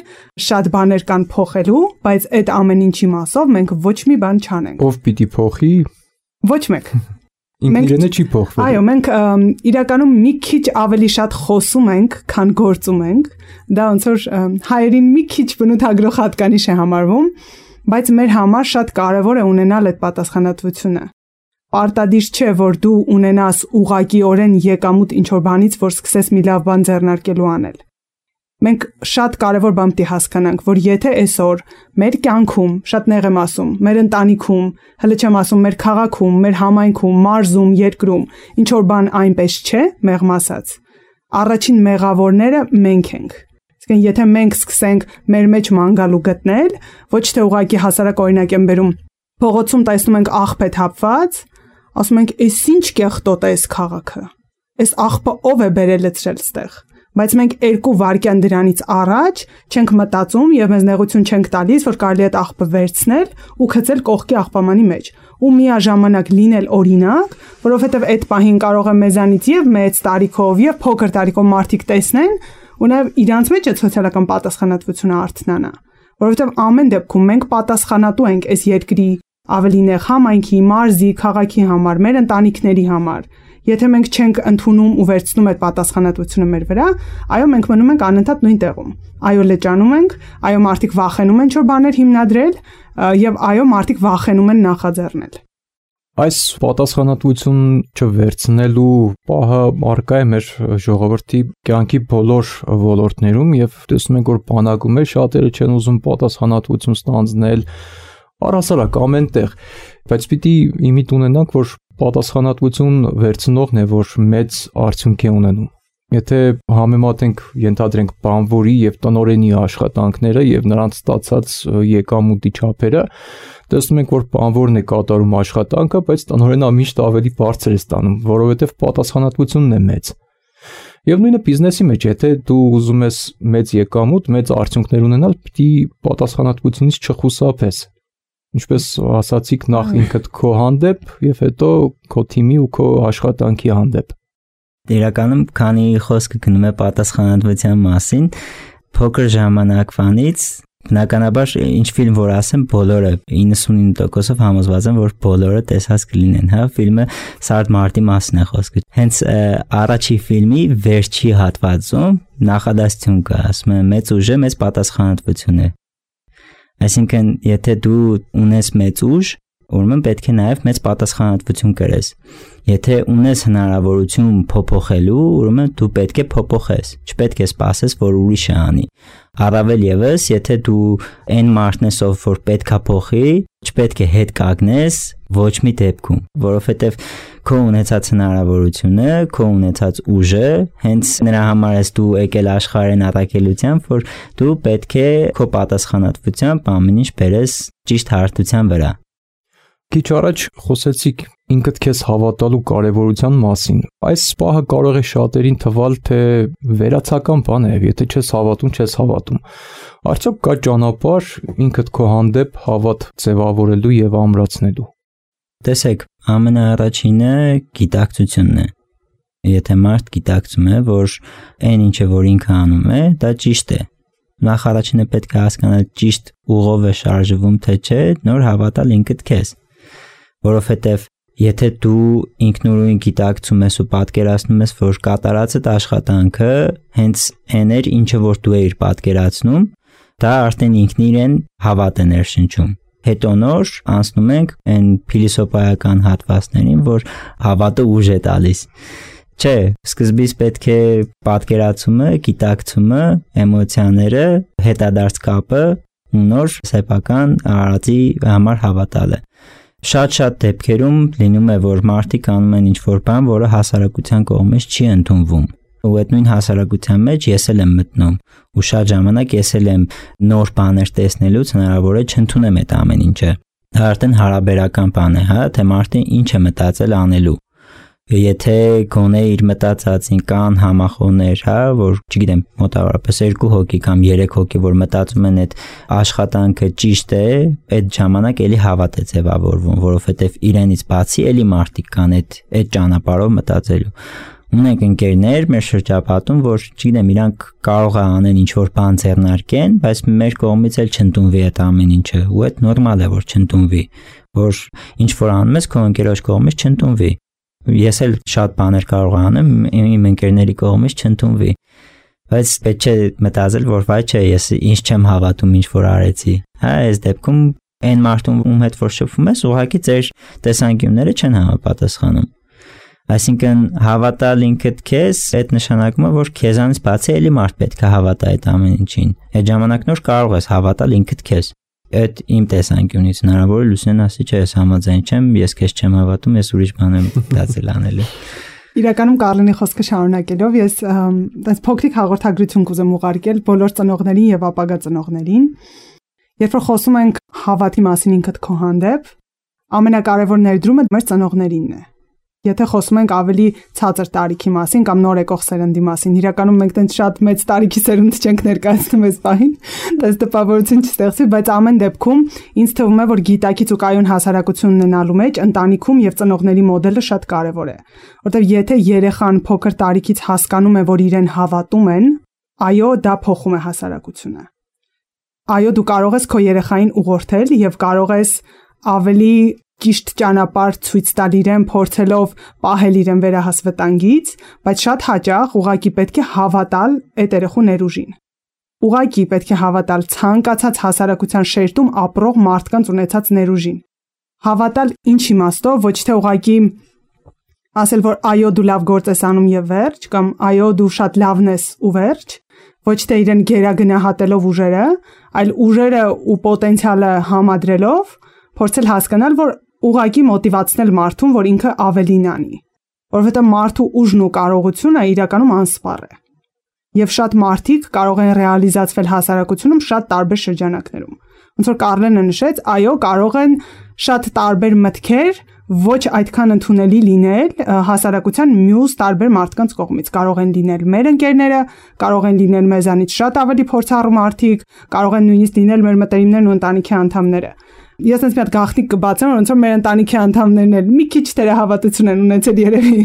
[SPEAKER 4] շատ բաներ կան փոխելու, բայց այդ ամեն ինչի մասով մենք ոչ մի բան չանենք։
[SPEAKER 2] Ով պիտի փոխի։
[SPEAKER 4] Ոչ մեկ։
[SPEAKER 2] Ինքնիրենը չի փոխվել։
[SPEAKER 4] Այո, մենք իրականում մի քիչ ավելի շատ խոսում ենք, քան գործում ենք։ Դա ոնց որ հայերին մի քիչ բնութագրող հատկանիշ է համարվում, բայց մեր համար շատ կարևոր է ունենալ այդ պատասխանատվությունը։ Պարտադիր չէ, որ դու ունենաս ուղղակիորեն եկամուտ ինչ-որ բանից, որ սկսես մի լավ բան ձեռնարկելու անել։ Մենք շատ կարևոր բան պիտի հասկանանք, որ եթե այսօր մեր կյանքում, շատ նեղ եմ ասում, մեր ընտանիքում, հələ չեմ ասում մեր քաղաքում, մեր համայնքում, մարզում, երկրում, ինչ-որ բան այնպես չէ, մեղմ ասած, առաջին մեղավորները մենք ենք։ Իսկ եթե մենք սկսենք մեր մեջ մանգալու գտնել, ոչ թե ուղղակի հասարակ օրինակ եմ բերում, փողոցում տեսնում ենք աղբ է թափված, ասում ենք, «Էս ինչ կեղտոտ է այս քաղաքը։ Այս աղբը ով է բերել այդտեղ ստեղ»։ Բայց մենք 2 վայրկյան դրանից առաջ չենք մտածում եւ մեզ նեղություն չենք տալիս, որ կարելի է այդ աղբը վերցնել ու գցել կողքի աղբամանի մեջ ու միաժամանակ լինել օրինակ, որովհետեւ այդ պահին կարող է մեզանից եւ մեծ տարիքով եւ փոքր տարիքով մարդիկ տեսնեն ու նաեւ իրանց մեջ այդ սոցիալական պատասխանատվությունը արթնանա, որովհետեւ ամեն դեպքում մենք պատասխանատու ենք այս երկրի ավելի նեղ համայնքի, մարզի, քաղաքի համար, մեր ընտանիքների համար։ Եթե մենք չենք ընդունում ու վերցնում այդ պատասխանատվությունը մեր վրա, այո, մենք մնում ենք անընդհատ նույն տեղում։ Այո, լճանում ենք, այո, մարդիկ վախենում են ինչ-որ բաներ հիմնադրել, եւ այո, մարդիկ վախենում են նախաձեռնել։
[SPEAKER 2] Այս պատասխանատվություն չվերցնելու պահը առկա է մեր ժողովրդի կյանքի բոլոր ոլորտներում եւ տեսնում ենք, որ բանակում է շատերը չեն ուզում պատասխանատվություն ստանձնել առհասարակ ամեն տեղ, բայց պիտի իմիջ ունենանք, որ պատասխանատվություն վերցնողն է, որ մեծ արդյունք է ունենում։ Եթե համեմատենք, ենթադրենք բանվորի եւ տնօրենի աշխատանքները եւ նրանց ստացած եկամուտի չափերը, տեսնում ենք, որ բանվորն է կատարում աշխատանքը, բայց տնօրենը միշտ ավելի բարձր է ստանում, որովհետեւ պատասխանատվությունն է մեծ։ Եվ նույնը բիզնեսի մեջ, եթե դու ուզում ես մեծ եկամուտ, մեծ արդյունքներ ունենալ, պիտի պատասխանատվությունից չխուսափես։ Ինչպես ասացիք, նախ ինքդ քո հանդեպ եւ հետո քո թիմի ու քո աշխատանքի հանդեպ։
[SPEAKER 3] Իրականում, քանի խոսքը գնում է պատասխանատվության մասին, փոքր ժամանակվանից բնականաբար ինչ ֆիլմ որ ասեմ, բոլորը 99%-ով համոզված եմ, որ բոլորը տեսած կլինեն, հա, ֆիլմը Սարդ Մարտի մասին է խոսքը։ Հենց առաջի ֆիլմի վերջի հատվածում նախադասություն կա, ասում է մեծ ուժը մեծ պատասխանատվություն է։ Այսինքն, եթե դու ունես մեծ ուժ, ուրեմն պետք է նաև մեծ պատասխանատվություն կրես։ Եթե ունես հնարավորություն փոփոխելու, ուրեմն դու պետք է փոփոխես, չպետք է սպասես, որ ուրիշը անի։ Առավել եւս, եթե դու այն մարդն ես, ով որ պետքա փոխի, չպետք է հետ կանգնես ոչ մի դեպքում, որովհետև քո ունեցած հնարավորությունը, քո ունեցած ուժը, հենց նրա համար ես դու եկել աշխարհին առաքելությամբ, որ դու պետք է քո պատասխանատվությամբ ամեն ինչ բերես ճիշտ հարթության վրա։
[SPEAKER 2] Քիչ առաջ խոսեցիք ինքդ քեզ հավատալու կարևորության մասին։ Այս պահը կարող է շատերին թվալ, թե վերացական բան է, եթե չես հավատում, չես հավատում։ Արդյոք կա ճանապարհ ինքդ քո հանդեպ հավատ ձևավորելու եւ ամրացնելու։
[SPEAKER 3] Տեսեք, ամենաառաջինը գիտակցությունն է։ Եթե մարդ գիտակցում է, որ այն ինչը որ ինքը անում է, դա ճիշտ է։ Նախ առաջինը պետք է հասկանալ ճիշտ ուղով է շարժվում, թե չէ, նոր հավատալ ինքդ քեզ։ Որովհետև եթե դու ինքնուրույն գիտակցում ես ու պատկերացնում ես, որ կատարածդ աշխատանքը հենց այն էր, ինչը որ դու էիր պատկերացնում, դա արդեն ինքն իրեն հավատ է ներշնչում։ Հետո նոր անցնում ենք այն փիլիսոփայական հատվածներին, որ հավատը ուժ է տալիս։ Չէ, սկզբից պետք է պատկերացումը, գիտակցումը, էմոցիաները, հետադարձ կապը ու նոր սեփական արածի համար հավատալը։ Շատ դեպքերում լինում է, որ մարդիկ անում են ինչ-որ բան, որը հասարակության կողմից չի ընդունվում։ Ու այդ նույն հասարակության մեջ ես էլ եմ մտնում, ու շատ ժամանակ ես էլ եմ նոր բաներ տեսնելուց հնարավոր է չընդունեմ այդ ամեն ինչը։ Դա արդեն հարաբերական բան է, հա, թե մարդը ինչ է մտածել անելու։ Եթե գոնե իր մտածածին կան համախոհներ, հա, որ չգիտեմ, մոտավորապես 2 հոգի կամ 3 հոգի, որ մտածում են այդ աշխատանքը ճիշտ է, այդ ժամանակ էլի հավատ է ձևավորվում, որովհետև իրենից բացի էլի մարդիկ կան այդ ճանապարհով մտածելու։ Ունենք ընկերներ մեր շրջապատում, որ չգիտեմ, իրանք կարող է անեն ինչ որ բան ձեռնարկեն, բայց մեր կողմից էլ չընդունվի այդ ամեն ինչը, ու այդ նորմալ է, որ չընդունվի, որ ինչ որ անում ես քո ընկերոջ կողմից չընդունվի։ Ես էլ շատ բաներ կարող անեմ, իմ ընկերների կողմից չընդունվի, բայց պետք է մտածել, որ վայ չէ, ես ինչ չեմ հավատում, ինչ որ արեցի։ Հա, այս դեպքում այն մարդուն, ում հետ որ շփվում ես, ուղղակի ձեր տեսանկյունները չեն համապատասխանում։ Այսինքն հավատալ ինքդ քեզ, այդ նշանակում է, որ քեզանից բացի էլի մարդ պետք է հավատա այդ ամեն ինչին։ Այդ ժամանակն որ կարող ես հավատալ ինքդ քեզ։ Այդ իմ տեսանկյունից հնարավոր է Լուսինեն ասի, չէ, ես համաձայն չեմ, ես քեզ չեմ հավատում, ես ուրիշ բան եմ դասել անելու։
[SPEAKER 4] Իրականում Կարլենի խոսքը շարունակելով ես այս փոքրիկ հաղորդագրություն կուզեմ ուղարկել բոլոր ծնողներին եւ ապագա ծնողներին։ Երբ որ խոսում ենք հավատի մասին ինքդ քո հանդեպ, ամենակարևոր ներդրումը մեր ծնողներինն է։ Եթե խոսում ենք ավելի ցածր տարիքի մասին կամ նոր եկող սերնդի մասին, իրականում մենք տենց շատ մեծ տարիքի սերունդ չենք ներկայացնում այս պահին, դες տպավորություն չստեղծվի, բայց ամեն դեպքում ինձ թվում է, որ գիտակից ու կայուն հասարակություն ունենալու մեջ ընտանիքում եւ ծնողների մոդելը շատ կարեւոր է, որտեղ եթե երեխան փոքր տարիքից հասկանում է, որ իրեն հավատում են, այո, դա փոխում է հասարակությունը։ Այո, դու կարող ես քո երեխային ուղղորդել եւ կարող ես ավելի ճիշտ ճանապարհ ցույց տալ իրեն, փորձելով պահել իրեն վերահասվտանգից, բայց շատ հաճախ ուղղակի պետք է հավատալ այդ երեխու ներուժին։ Ուղղակի պետք է հավատալ ցանկացած հասարակության շերտում ապրող մարդկանց ունեցած ներուժին։ Հավատալ ինչ իմաստով, ոչ թե ուղղակի ասել, որ այո, դու լավ գործ ես անում եւ վերջ, կամ այո, դու շատ լավն ես ու վերջ, ոչ թե իրեն գերագնահատելով ուժերը, այլ ուժերը ու պոտենցիալը համադրելով փորձել հասկանալ, որ ուղղակի մոտիվացնել մարդուն, որ ինքը ավելին անի, որովհետև մարդու ուժն ու կարողությունը իրականում անսպառ է։ Եվ շատ մարդիկ կարող են ռեալիզացվել հասարակությունում շատ տարբեր շրջանակներում։ Ոնց որ Կարլենը նշեց, այո, կարող են շատ տարբեր մտքեր ոչ այդքան ընդունելի լինել հասարակության մյուս տարբեր մարդկանց կողմից։ Կարող են լինել մեր ընկերները, կարող են լինել մեզանից շատ ավելի փորձառու մարդիկ, կարող են նույնիսկ լինել մեր մտերիմներն ու ընտանիքի անդամները։ Ես այնպես մի հատ գաղտնիք կբացեմ, ոնց որ մեր ընտանիքի անդամներն էլ մի քիչ թերահավատություն են ունեցել երևի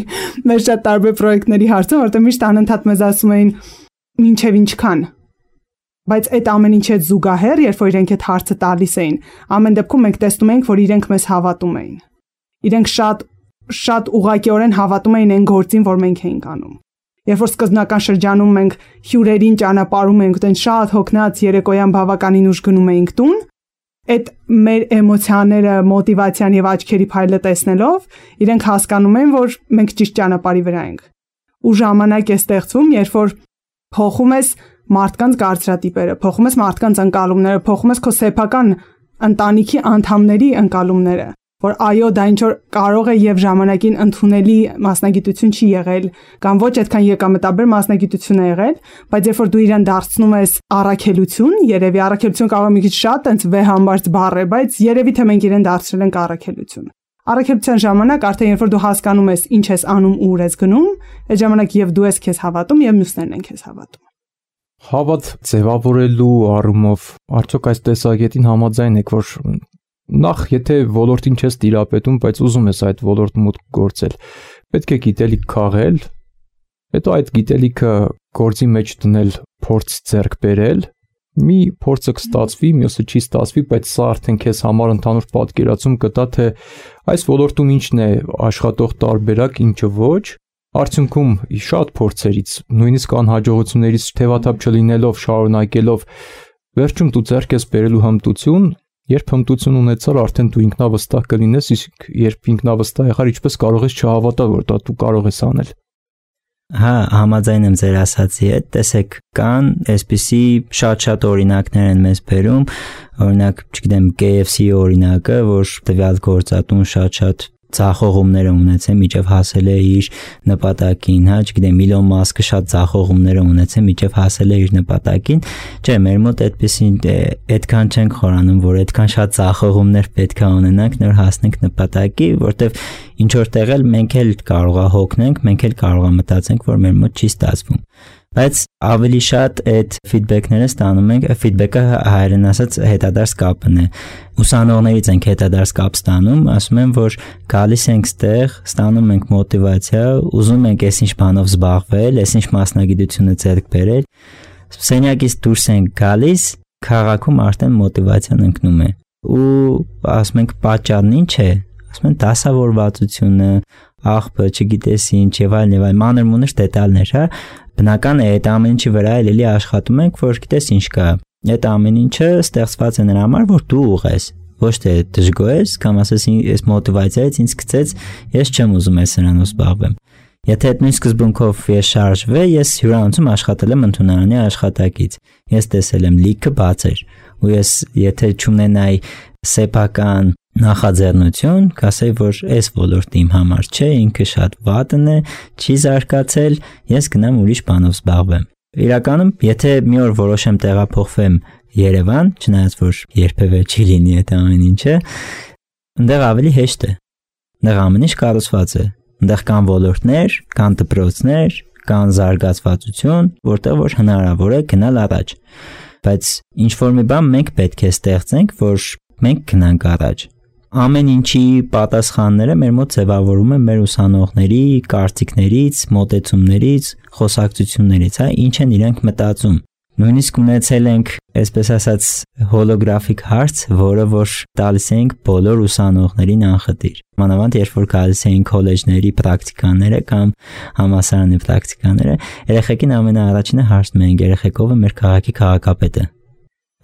[SPEAKER 4] մեր շատ տարբեր պրոյեկտների հարցում, որտեղ միշտ անընդհատ մեզ ասում էին ինչև ինչքան։ Բայց այդ ամեն ինչի հետ զուգահեռ, երբ որ իրենք այդ հարցը տալիս էին, ամեն դեպքում մենք տեսնում ենք, որ իրենք մեզ հավատում էին։ Իրենք շատ ուղղակիորեն հավատում էին այն գործին, որ մենք էինք անում։ Երբ որ սկզբնական շրջանում մենք հյուրերին ճանապարհում ենք, այդեն շատ հոգնած երեկոյան բավականին ուշ գնում էինք տուն, այդ մեր էմոցիաները, մոտիվացիան եւ աչքերի փայլը տեսնելով, իրենք հասկանում են, որ մենք ճիշտ ճանապարհի վրա ենք։ Ու ժամանակ է ստեղծվում, երբ որ փոխում ես մարդկանց կարծրատիպերը, փոխում ես մարդկանց ընկալումները, փոխում ես քո սեփական ընտանիքի անդամների ընկալումները, որ այո, դա ինչ որ կարող է եւ ժամանակին ընդունելի մասնագիտություն չի եղել, կամ ոչ այդքան եկամտաբեր մասնագիտություն է եղել, բայց երբ որ դու իրան դարձնում ես առաքելություն, երևի առաքելություն կարող է մի քիչ շատ այնց վեհամբարձ բառ է, բայց երևի թե մենք իրեն դարձրել ենք առաքելություն։ Առաքելության ժամանակ արդեն երբ որ դու հասկանում ես ինչ ես անում ու ուր ես գնում, այդ ժամանակ եւ դու ես քեզ հավատում եւ մյուսներն են քեզ հավատում։
[SPEAKER 2] Հավատ ձևավորելու առումով արդյոք այս տեսակետին համաձայն եք, որ նախ եթե ոլորտին չես տիրապետում, բայց ուզում ես այդ ոլորտում մուտք գործել, պետք է գիտելիք քաղել, հետո այդ գիտելիքը գործի մեջ դնել, փորձ ձեռք բերել, մի փորձը կստացվի, մյուսը չի ստացվի, բայց սա արդեն քեզ համար ընդհանուր պատկերացում կտա, թե այս ոլորտում ինչն է աշխատող տարբերակ, ինչը ոչ, արդյունքում շատ փորձերից, նույնիսկ անհաջողություններից թևաթափ չլինելով, շարունակելով, վերջում դու ձեռք ես բերելու հմտություն, երբ հմտություն ունեցար, արդեն դու ինքնավստահ կլինես, իսկ երբ ինքնավստահ եղար, ինչպես կարող ես չհավատալ, որ դա դու կարող ես անել։
[SPEAKER 3] Հա, համաձայն եմ ձեր ասացի հետ, տեսեք, կան այսպիսի շատ օրինակներ են մեզ բերում, օրինակ, չգիտեմ, KFC օրինակը, որ տվյալ գործատուն շատ ձախողումներ ունեցել միջև հասել է իր նպատակին, հա, չգիտեմ, Իլոն Մասկը շատ ձախողումներ ունեցել միջև հասել է իր նպատակին, չէ, մեր մոտ այդքան չենք խորանում, որ այդքան շատ ձախողումներ պետք է ունենանք, նոր հասնենք նպատակի, որտեվ ինչ որ տեղել մենք էլ կարող է հոգնենք, մենք էլ կարող է մտածենք, որ մեր մոտ չի ստացվում։ Բայց ավելի շատ այդ ֆիդբեքները ստանում ենք, ֆիդբեքը հայերեն ասած հետադարձ կապն է։ Ուսանողներից ենք հետադարձ կապ ստանում, ասում են, որ գալիս ենք ստեղ, ստանում ենք մոտիվացիա, ուզում ենք այսինչ բանով զբաղվել, այսինչ մասնագիտությունը ձեռք բերել, սենյակից դուրս ենք գալիս, քաղաքում արդեն մոտիվացիան ընկնում է։ Ու ասում ենք պատճառն ինչ է, ասում են դասավորվածությունը, աղբը, չգիտես ինչ եւ այլն, մանր-մունր դետալներ, հա։ Բնական է այդ ամեն ինչի վրա էլի աշխատում ենք, որ գիտես ինչ կա։ Այդ ամեն ինչը ստեղծված է նրա համար, որ դու ուղես, ոչ թե դժգոհես, կամ ասես այս մոտիվացիայից ինձ գցեց, ես չեմ ուզում այս սրանով զբաղվեմ։ Եթե այդ նույն սկզբունքով ես շարժվեի, ես հյուրանոցում աշխատել եմ ընդունարանի աշխատակից։ Ես տեսել եմ լիքը բացեր, ու ես եթե չունենայի սեփական նախաձեռնություն, կասեի, որ այս ոլորտը իմ համար չէ, ինքը շատ վատն է, չի զարգացել, ես գնամ ուրիշ բանով զբաղվեմ։ Իրականում, եթե մի օր որոշեմ տեղափոխվեմ Երևան, չնայած որ երբևէ չի լինի այդ ամեն ինչը, այնտեղ ավելի հեշտ է։ Այնտեղ ամեն ինչ կառուցված է։ Այնտեղ կան ոլորտներ, կան դպրոցներ, կան զարգացվածություն, որտեղ որ հնարավոր է գնալ առաջ։ Բայց ինչ որ մի բան մենք պետք է ստեղծենք, որ մենք գնանք առաջ։ Ամեն ինչի պատասխանները մեր մոտ ձևավորվում են մեր ուսանողների կարծիքներից, մոտեցումներից, խոսակցություններից, հա, ինչ են իրենք մտածում։ Նույնիսկ ունեցել ենք, այսպես ասած, հոլոգրաֆիկ հարց, որը որ տալիս ենք բոլոր ուսանողներին անխտիր։ Մանավանդ երբ որ գալիս էին քոլեջների պրակտիկաները կամ համալսարանի պրակտիկաները, երեխեքին ամենաառաջինը հարցնում են, երեխեք ով է մեր քաղաքի քաղաքապետը։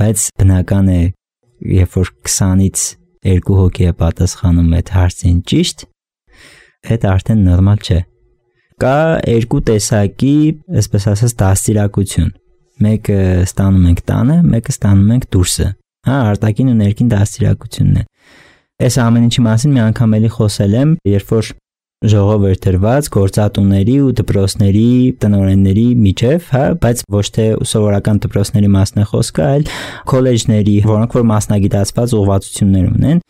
[SPEAKER 3] Բայց բնական է, երբ որ 20-ից 2 հոգի է պատասխանում այդ հարցին ճիշտ, այդ արդեն նորմալ չէ։ Կա երկու տեսակի, այսպես ասած, դաստիարակություն։ Մեկը ստանում ենք տանը, մեկը ստանում ենք դուրսը։ Հա, արտաքին ու ներքին դաստիարակությունն է։ Այս ամեն ինչի մասին մի անգամ էլի խոսել եմ, երբ որ ժողով էր դրված գործատուների ու դպրոցների տնօրենների միջև, հա, բայց ոչ թե սովորական դպրոցների մասն է խոսքը, այլ քոլեջների, որոնք որ մասնագիտացված ուղղվածություններ ունեն,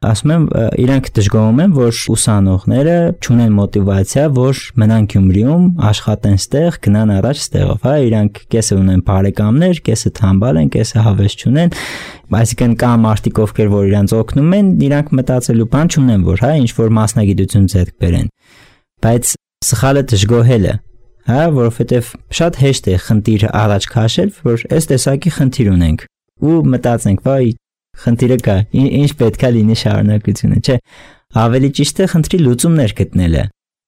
[SPEAKER 3] ասում եմ, իրանք դժգոհում են, որ ուսանողները չունեն մոտիվացիա, որ մնան Գյումրիում, աշխատեն ստեղ, գնան առաջ ստեղով, հա, իրանք կեսը ունեն բարեկամներ, կեսը թամբալ են, կեսը հավես չունեն, այսինքն կա մարդիկ, ովքեր որ իրանց օգնում են, իրանք մտածելու բան չունեն, որ հա, ինչ որ մասնագիտություն ձեռք բերեն։ Բայց սխալը դժգոհելը, հա, որովհետև շատ հեշտ է խնդիրը առաջ քաշել, որ այս տեսակի խնդիր ունենք ու մտածենք, վայ, խնդիրը կա, ինչ պետք է լինի շարունակությունը, չէ, ավելի ճիշտ է խնդրի լուծումներ գտնելը։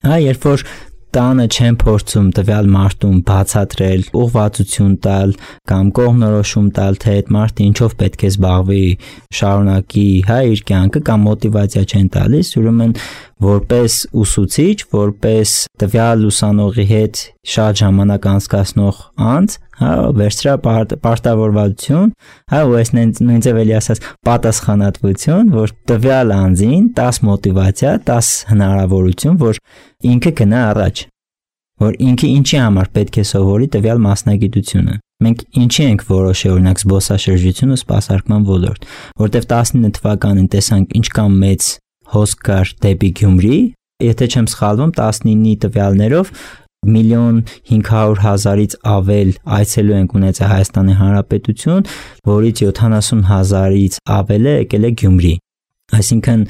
[SPEAKER 3] Հա, երբ որ տանը չեն փորձում տվյալ մարդուն բացատրել, ուղղվածություն տալ կամ կողմնորոշում տալ, թե այդ մարդը ինչով պետք է զբաղվի, շարունակի, հա, իր կյանքը կամ մոտիվացիա չեն տալիս, ուրեմն որպես ուսուցիչ, որպես տվյալ ուսանողի հետ շատ ժամանակ անցկացնող անձ, հա, վերցրա պարտավորվածություն, հա, ու այս նույն ձև էլի ասած պատասխանատվություն, որ տվյալ անձին 10 մոտիվացիա, 10 հնարավորություն, որ ինքը գնա առաջ, որ ինքը ինչի համար պետք է սովորի տվյալ մասնագիտությունը։ Մենք ինչի ենք որոշել օրինակ զբոսաշրջություն ու սպասարկման ոլորտ, որտեվ 19 թվականին տեսանք ինչքան մեծ հոսք կար դեպի Գյումրի, եթե չեմ սխալվում 19-ի տվյալներով 1.5 միլիոն ավել այցելու ենք ունեցել Հայաստանի Հանրապետություն, որից 70,000-ից ավելը եկել է Գյումրի։ Այսինքն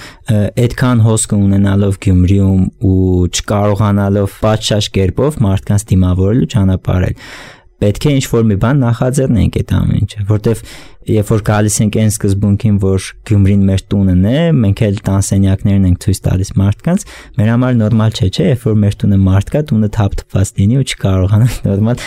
[SPEAKER 3] այդքան հոսքը ունենալով Գյումրիում ու չկարողանալով պատշաճ կերպով մարդկանց դիմավորելու ճանապարհել, պետք է ինչ-որ մի բան նախաձեռնենք այդ ամեն ինչը, որտեվ երբ որ գալիս ենք այն սկզբունքին, որ Գյումրին մեր տունն է, մենք էլ տանսենյակներն ենք ցույց տալիս մարդկանց, մեր համար նորմալ չէ, չէ, երբ որ մեր տունը մարդ կա, տունը թափթփված լինի ու չկարողանանք նորմալ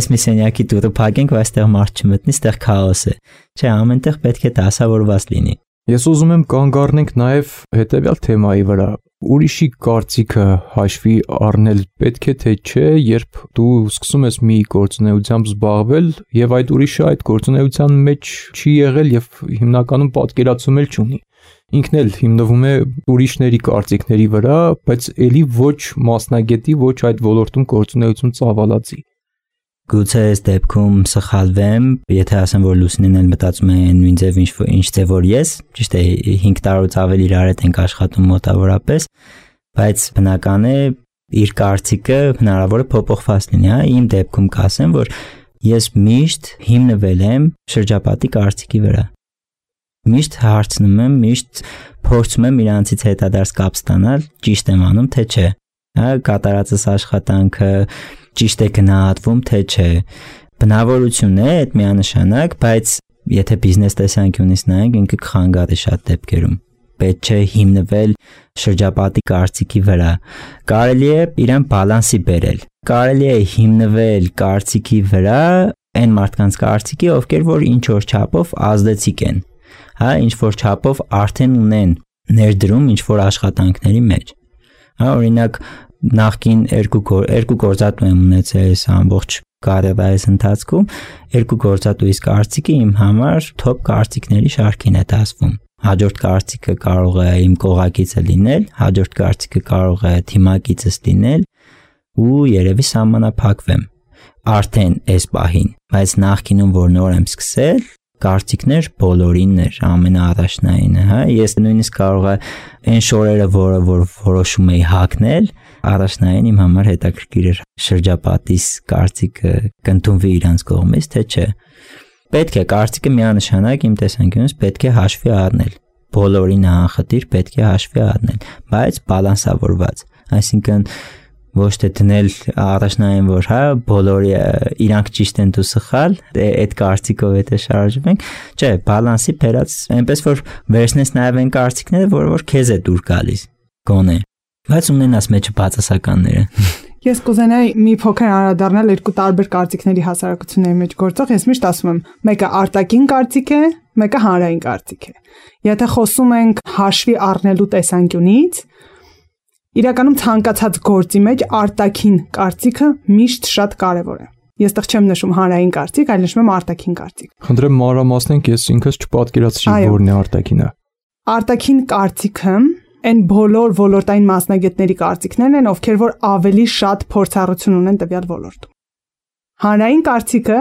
[SPEAKER 3] այս մի սենյակի դուռը փակենք, ու այստեղ մարդ չմտնի, այստեղ քաոս է։ Չէ, ամենտեղ պետք է դասավորված լինի։
[SPEAKER 2] Ես ուզում եմ կանգ առնենք նաև հետևյալ թեմայի վրա։ Ուրիշի կարծիքը հաշվի առնել պետք է թե չէ, երբ դու սկսում ես մի գործունեությամբ զբաղվել եւ այդ ուրիշը այդ գործունեության մեջ չի եղել եւ հիմնականում պատկերացում էլ չունի։ ինքն էլ հիմնվում է ուրիշների կարծիքների վրա, բայց ելի ոչ մասնագետի, ոչ այդ ոլորտում գործունեություն ծավալածի։
[SPEAKER 3] Գուցե այս դեպքում սխալվեմ, եթե ասեմ, որ Լուսինեն էլ մտածում է նույն ձև ինչ ձև որ ես, ճիշտ է 5 տարուց ավելի իրար հետ ենք աշխատում մոտավորապես, բայց բնական է իր կարծիքը հնարավոր է փոփոխված լինի, հա, իմ դեպքում կասեմ, որ ես միշտ հիմնվել եմ շրջապատի կարծիքի վրա։ Միշտ հարցնում եմ, միշտ փորձում եմ իրանցից հետադարձ կապ ստանալ, ճիշտ եմ անում, թե չէ։ Հա, կատարածս աշխատանքը ճիշտ է գնահատվում, թե չէ։ Բնավորություն է այդ միանշանակ, բայց եթե բիզնես տեսանկյունից նայենք, ինքը կխանգարի շատ դեպքերում։ Պետք չէ հիմնվել շրջապատի կարծիքի վրա։ Կարելի է իրան բալանսի բերել։ Կարելի է հիմնվել կարծիքի վրա այն մարդկանց կարծիքի, ովքեր որ ինչ որ չափով ազդեցիկ են, հա, ինչ որ չափով արդեն ունեն ներդրում ինչ որ աշխատանքների մեջ։ Հա, օրինակ նախքին երկու գործատու եմ ունեցել այս ամբողջ կարիերայիս ընթացքում, երկու գործատուից կարծիքը իմ համար top կարծիքների շարքին է դասվում։ Հաջորդ կարծիքը կարող է իմ կողակիցը լինել, հաջորդ կարծիքը կարող է թիմակիցս լինել ու երևի սահմանափակվեմ արդեն այս պահին, բայց նախքինում որ նոր եմ սկսել, կարծիքներ բոլորինն էր, ամենաառաջնայինը, հա, ես նույնիսկ կարող է այն շորերը, որը որ որոշում էի հագնել, առաջնային իմ համար հետաքրքիր էր շրջապատիս կարծիքը կընդունվի իրանց կողմից, թե չէ։ Պետք է կարծիքը միանշանակ իմ տեսանկյունից պետք է հաշվի առնել, բոլորին անխտիր պետք է հաշվի առնել, բայց բալանսավորված, այսինքն ոչ թե դնել առաջնային որ հա բոլորի իրանք ճիշտ են դու սխալ, այդ կարծիքով եթե շարժվում ենք, չէ, բալանսի բերած, այնպես որ վերցնես նաև այն կարծիքները, որ քեզ է դուր գալիս, գոնե, բայց ունենաս մեջը բացասականները։
[SPEAKER 4] Ես կուզենայի մի փոքր անդրադառնալ երկու տարբեր կարծիքների հասարակությունների մեջ գործող, ես միշտ ասում եմ, մեկը արտաքին կարծիք է, մեկը հանրային կարծիք է։ Եթե խոսում ենք հաշվի առնելու տեսանկյունից, իրականում ցանկացած գործի մեջ արտաքին կարծիքը միշտ շատ կարևոր է։ Ես տեղ չեմ նշում հանրային կարծիք, այլ նշում եմ արտաքին կարծիք։
[SPEAKER 2] Խնդրեմ մանրամասնենք, ես ինքս չպատկերացրի որն է արտաքինը։
[SPEAKER 4] Արտաքին կարծիքը այն բոլոր ոլորտային մասնագետների կարծիքներն են, ովքեր որ ավելի շատ փորձառություն ունեն տվյալ ոլորտում։ Հանրային կարծիքը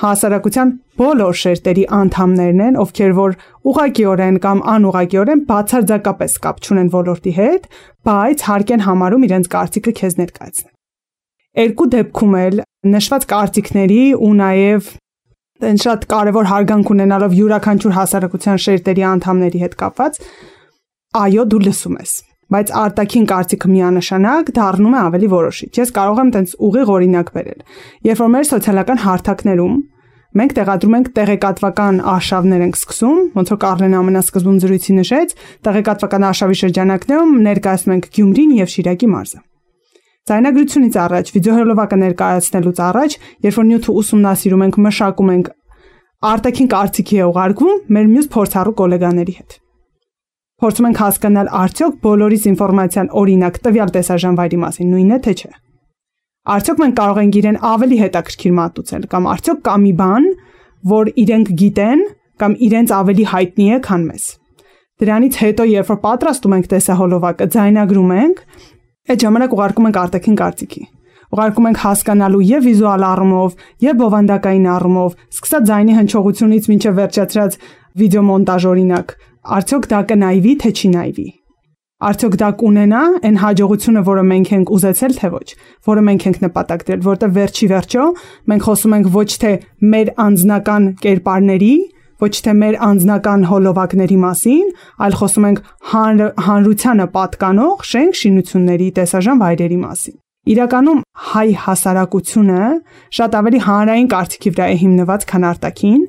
[SPEAKER 4] հասարակության բոլոր շերտերի անդամներն են, ովքեր որ ուղղակիորեն կամ անուղղակիորեն բացարձակապես կապ չունեն ոլորտի հետ, բայց հարկ են համարում իրենց կարծիքը քեզ ներկայացնել։ Երկու դեպքում էլ նշված կարծիքների ու նաև այն շատ կարևոր հարգանք ունենալով յուրաքանչյուր հասարակության շերտերի անդամների հետ կապված, այո, դու լսում ես, բայց արտաքին կարծիքը միանշանակ դառնում է ավելի որոշիչ։ Ես կարող եմ տենց ուղիղ օրինակ բերել։ Երբ որ մեր սոցիալական հարթակներում մենք տեղադրում ենք տեղեկատվական արշավներ ենք սկսում, ոնց որ Կարլեն ամենասկզբում զրույցի նշեց, տեղեկատվական արշավի շրջանակներում ներկայացնում ենք Գյումրին եւ Շիրակի մարզը։ Ձայնագրությունից առաջ, վիդեոհոլովակը ներկայացնելուց առաջ, երբ որ նյութը ուսումնասիրում ենք, մշակում ենք, արտաքին կարծիքի է ուղարկվում մեր մյուս փորձառու գոլեգաների հետ։ Փորձում ենք հասկանալ արդյոք բոլորիս ինֆորմացիան օրինակ տվյալ տեսաժանվայրի մասին նույնն է թե չէ։ Արդյոք մենք կարող ենք իրեն ավելի հետաքրքիր մատուցել կամ արդյոք կա մի բան, որ իրենք գիտեն կամ իրենց ավելի հայտնի է, քան մեզ։ Դրանից հետո երբ որ պատրաստում ենք տեսահոլովակը, ձայնագրում ենք, այդ ժամանակ ուղարկում ենք արտաքին կարծիքի։ Ուղարկում ենք հասկանալու եւ վիզուալ առումով, եւ բովանդակային առումով, սկսած ձայնի հնչողությունից մինչեւ վերջացրած վիդեոմոնտաժ օրինակ, արդյոք դա կնայվի, թե չի նայվի։ Արդյոք դա կունենա այն հաջողությունը, որը մենք ենք ուզեցել, թե ոչ, որը մենք ենք նպատակ դրել, որտեղ վերջի վերջո մենք խոսում ենք ոչ թե մեր անձնական կերպարների, ոչ թե մեր անձնական հոլովակների մասին, այլ խոսում ենք հանրությանը պատկանող շենք շինությունների տեսաժան վայրերի մասին։ Իրականում հայ հասարակությունը շատ ավելի հանրային կարծիքի վրա է հիմնված, քան արտաքին,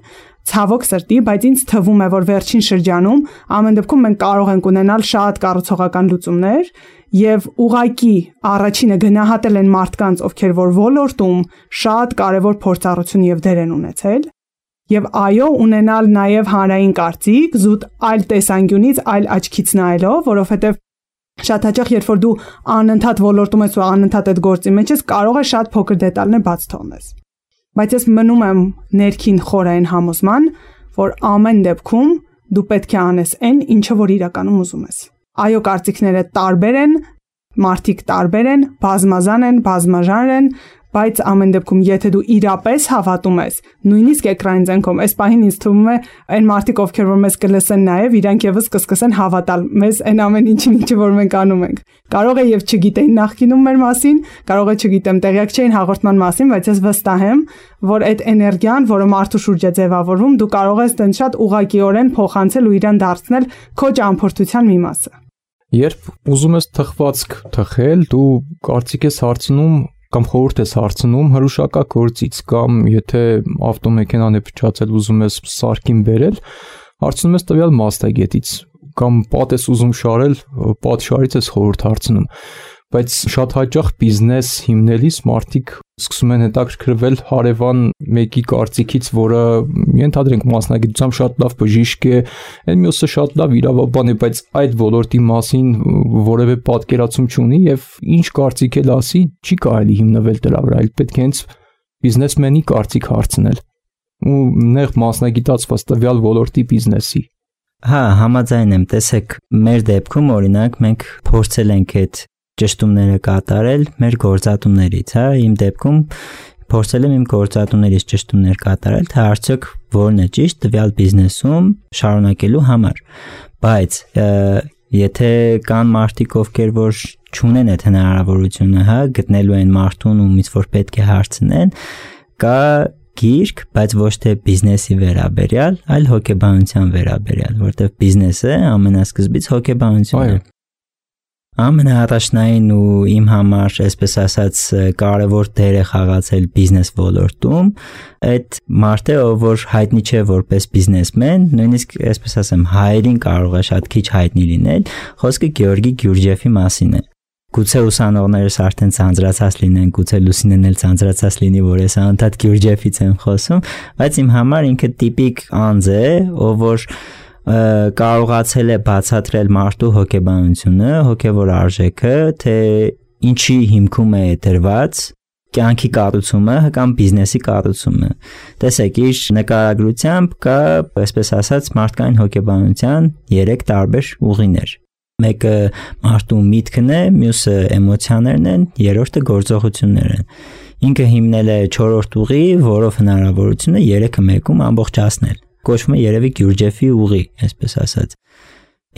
[SPEAKER 4] ցավոք սրտի, բայց ինձ թվում է, որ վերջին շրջանում ամեն դեպքում մենք կարող ենք ունենալ շատ կառուցողական լուծումներ եւ ուղակի առաջինը գնահատել են մարդկանց, ովքեր որ ոլորտում շատ կարեւոր փորձառություն եւ դեր են ունեցել եւ այո ունենալ նաեւ հանրային կարծիք, զուտ այլ տեսանկյունից, այլ աչքից նայելով, որովհետեւ շատ հաճախ երբ որ դու անընդհատ ոլորտում ես ու անընդհատ այդ գործի մեջ ես, կարող է շատ փոքր դետալներ բաց թողնես։ Բայց ես մնում եմ ներքին խորային համոզման, որ ամեն դեպքում դու պետք է անես այն, ինչը որ իրականում ուզում ես։ Այո, կարծիքները տարբեր են, մարդիկ տարբեր են, բազմազան են, բազմաժանր են, բայց ամեն դեպքում եթե դու իրապես հավատում ես, նույնիսկ էկրանին ցանկում, այս պահին ինձ թվում է այն մարդիկ, ովքեր որ մեզ կլսեն նաև, իրանք եւս կսկսեն հավատալ մեզ այն ամեն ինչին, ինչը որ մենք անում ենք։ Կարող է եւ չգիտեին նախկինում մեր մասին, կարող է չգիտեմ, տեղյակ չէին հաղորդման մասին, բայց ես վստահ եմ, որ այդ էներգիան, որը մարդու շուրջ է ձևավորվում, դու կարող ես դեն շատ ուղղակիորեն փոխանցել ու իրան դարձնել քո ճամփորդության մի մասը։
[SPEAKER 2] Երբ ուզում ես թխվածք թխել, դու կարծիք ես հարցնում կամ խորհուրդ ես հարցնում հրուշակա գործից կամ եթե ավտոմեքենան է փչացել ուզում ես սարքին բերել, հարցնում ես տվյալ մասնագետից կամ պատ ես ուզում շարել, պատշարից ես խորհուրդ հարցնում, բայց շատ հաճախ բիզնես հիմնելիս մարդիկ սկսում են հետաքրքրվել հարևան մեկի կարծիքից, որը ենթադրենք մասնագիտությամբ շատ լավ բժիշկ է, այն մյուսը շատ լավ իրավաբան է, բայց այդ ոլորտի մասին որևէ պատկերացում չունի եւ ինչ կարծիք էլ ասի, չի կարելի հիմնվել դրա վրա, այլ պետք է հենց բիզնեսմենի կարծիք հարցնել ու նեղ մասնագիտացված տվյալ ոլորտի բիզնեսի։
[SPEAKER 3] Հա, համաձայն եմ, տեսեք, մեր դեպքում օրինակ մենք փորձել ենք այդ ճշտումները կատարել մեր գործատուներից, հա, իմ դեպքում փորձել եմ իմ գործատուներից ճշտումներ կատարել, թե արդյոք որն է ճիշտ տվյալ բիզնեսում շարունակելու համար, բայց եթե կան մարդիկ, ովքեր որ չունեն այդ հնարավորությունը, հա, գտնելու են մարդուն, ումից որ պետք է հարցնեն, կա գիրք, բայց ոչ թե բիզնեսի վերաբերյալ, այլ հոգեբանության վերաբերյալ, որտեղ բիզնեսը ամենասկզբից հոգեբանությունն է։ Ամենաառաջնային ու իմ համար, այսպես ասած, կարևոր դեր է խաղացել բիզնես ոլորտում այդ մարդը, ով որ հայտնի չէ որպես բիզնեսմեն, նույնիսկ այսպես ասեմ, հայերին կարող է շատ քիչ հայտնի լինել, խոսքը Գեորգի Գյուրջեֆի մասին է։ Գուցե ուսանողներս արդեն ցանցրացած լինեն, գուցե Լուսինեն էլ ցանցրացած լինի, որ ես անդադ Գյուրջեֆից եմ խոսում, բայց իմ համար ինքը տիպիկ անձ է, ով որ կարողացել է բացատրել մարդու հոգեբանությունը, հոգևոր արժեքը, թե ինչի հիմքում է դրված կյանքի կառուցումը կամ բիզնեսի կառուցումը։ Տեսեք, իր նկարագրությամբ կա, այսպես ասած, մարդկային հոգեբանության 3 տարբեր ուղիներ։ Մեկը մարդու միտքն է, մյուսը էմոցիաներն են, երրորդը գործողություններն են։ Ինքը հիմնել է 4-րդ ուղի, որով հնարավորություն է 3-ը մեկում ամբողջացնել։ Կոչվում է երևի Գյուրջեֆի ուղի, այսպես ասած։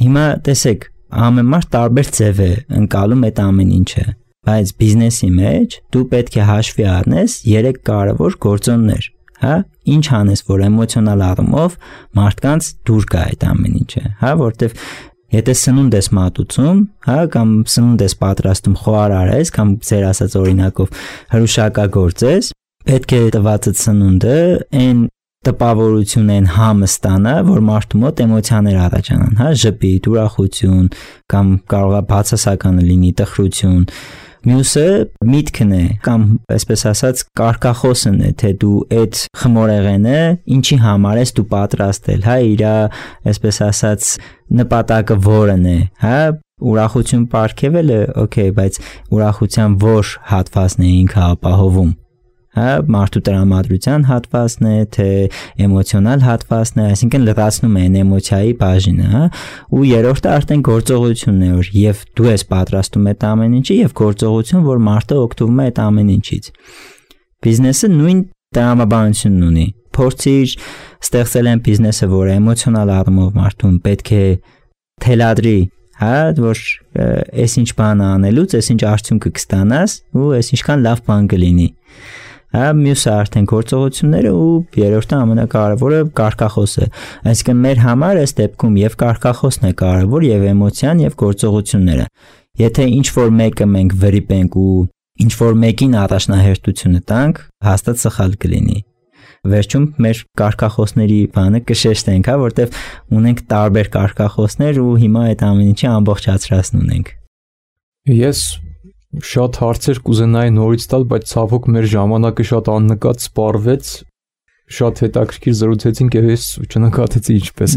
[SPEAKER 3] Հիմա տեսեք, ամեն մարդ տարբեր ձև է ընկալում այդ ամեն ինչը, բայց բիզնեսի մեջ դու պետք է հաշվի առնես 3 կարևոր գործոններ, հա, ինչ անես, որ էմոցիոնալ առումով մարդկանց դուր գա այդ ամեն ինչը, հա, որտեվ եթե սնունդ ես մատուցում, հա, կամ սնունդ ես պատրաստում խոհարար ես, կամ ձեր ասած օրինակով հրուշակագործ ես, պետք է տվածդ սնունդը այն տպավորությունն համը ստանա, որ մարդու մոտ էմոցիաներ առաջանան, հա, ժպիտ, ուրախություն, կամ կարող է բացասականը լինի, տխրություն։ Մյուսը միտքն է, կամ այսպես ասած կարգախոսն է, թե դու այդ խմորեղենը ինչի համար ես դու պատրաստել, հա, իր այսպես ասած նպատակը որն է, հա, ուրախություն պարգևելը, օքեյ, բայց ուրախության որ հատվածն է ինքը ապահովում, հա, մարդու տրամադրության հատվածն է, թե էմոցիոնալ հատվածն է, այսինքն լրացնում է այն էմոցիայի բաժինը, հա, ու երրորդը արդեն գործողությունն է, որ եւ դու ես պատրաստում այդ ամեն ինչը եւ գործողություն, որ մարդը օգտվում է այդ ամեն ինչից։ Բիզնեսը նույն տրամաբանությունն ունի։ Փորձիր ստեղծել են բիզնեսը, որը էմոցիոնալ առումով մարդուն պետք է թելադրի, հա, որ այսինչ բան անելուց, այսինչ արդյունքը կստանաս ու այսինչքան լավ բան կլինի։ Հա, մյուսը արդեն գործողությունները ու երրորդը ամենակարևորը կարգախոսը։ Այսինքն մեր համար այս դեպքում եւ կարգախոսն է կարևոր եւ էմոցիան եւ գործողությունները։ Եթե ինչ որ մեկը մենք վրիպենք ու ինչ որ մեկին առաջնահերթությունը տանք, հաստատ սխալ կլինի։ Վերջում մեր կարգախոսների բանը կշեշտենք, հա, որտեվ ունենք տարբեր կարգախոսներ ու հիմա այդ ամեն ինչի ամբողջացրածն ունենք։
[SPEAKER 2] Ես շատ հարցեր կուզենայի նորից տալ, բայց ցավոք մեր ժամանակը շատ աննկատ սպառվեց, շատ հետաքրքիր զրուցեցինք եւ ես չնկատեցի ինչպես։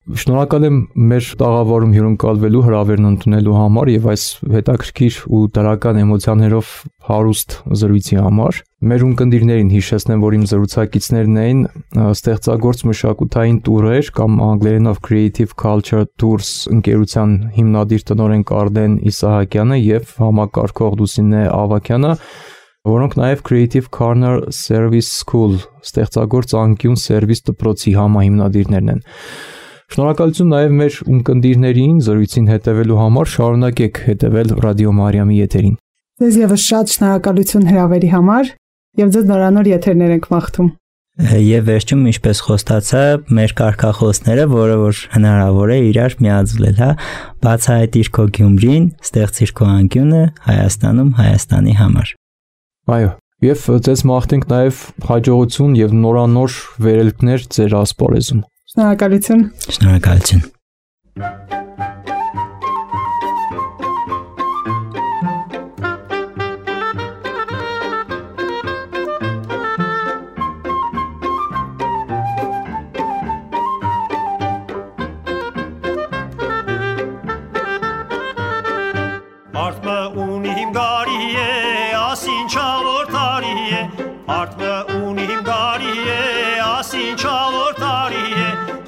[SPEAKER 2] Շնորհակալ եմ մեր տաղավարում հյուրընկալվելու, հրավերն ընդունելու համար եւ այս հետաքրքիր ու դրական էմոցիաներով հարուստ զրույցի համար։ Մեր ունկնդիրներին հիշեցնեմ, որ իմ զրուցակիցներն էին ստեղծագործ մշակութային տուրեր կամ անգլերենով Creative Culture Tours ընկերության հիմնադիր տնօրեն Կարդեն Իսահակյանը եւ համակարգող Լուսինե Ավագյանը, որոնք նաև Creative Corner Service School ստեղծագործ անկյուն սերվիս դպրոցի համահիմնադիրներն են։ Շնորհակալություն նաև մեր ունկնդիրներին զրույցին հետևելու համար, շարունակեք հետևել Ռադիո Մարիամի եթերին։
[SPEAKER 4] Ձեզ եւս շատ շնորհակալություն հրավերի համար եւ ձեզ նորանոր եթերներ ենք մաղթում։
[SPEAKER 3] Եվ վերջում, ինչպես խոստացա, մեր կարգախոսները, որը որ հնարավոր է իրար միաձուլել, հա, բացահայտիր քո Գյումրին, ստեղծիր քո անկյունը Հայաստանում Հայաստանի համար։
[SPEAKER 2] Այո, եւ ձեզ մաղթենք նաև հաջողություն եւ նորանոր վերելքներ ձեր ասպարեզում։
[SPEAKER 4] Շնորհակալություն։
[SPEAKER 3] Շնորհակալություն։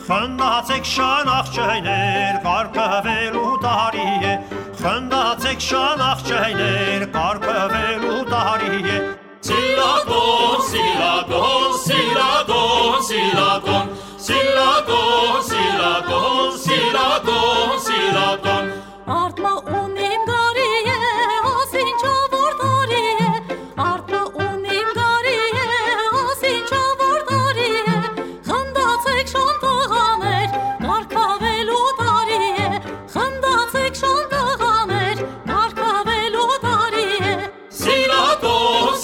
[SPEAKER 5] Խնդացեք շանախ չայներ, կարգավելու տարի է, խնդացեք շանախ չայներ, կարգավելու տարի է։ Սիլակոն, սիլակոն, սիլակոն, սիլակոն, սիլակոն, սիլակոն, սիլակոն, սիլակոն։
[SPEAKER 6] Արտմա ունիմ գարի է, ասինչա որ տարի է, արտմա ունիմ գարի է, ասինչա որ տարի է, խնդացեք շան
[SPEAKER 5] Սիլակոն,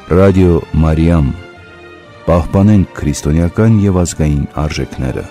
[SPEAKER 1] Ռադիո Մարիամ, պահպանենք քրիստոնեական եւ ազգային արժեքները։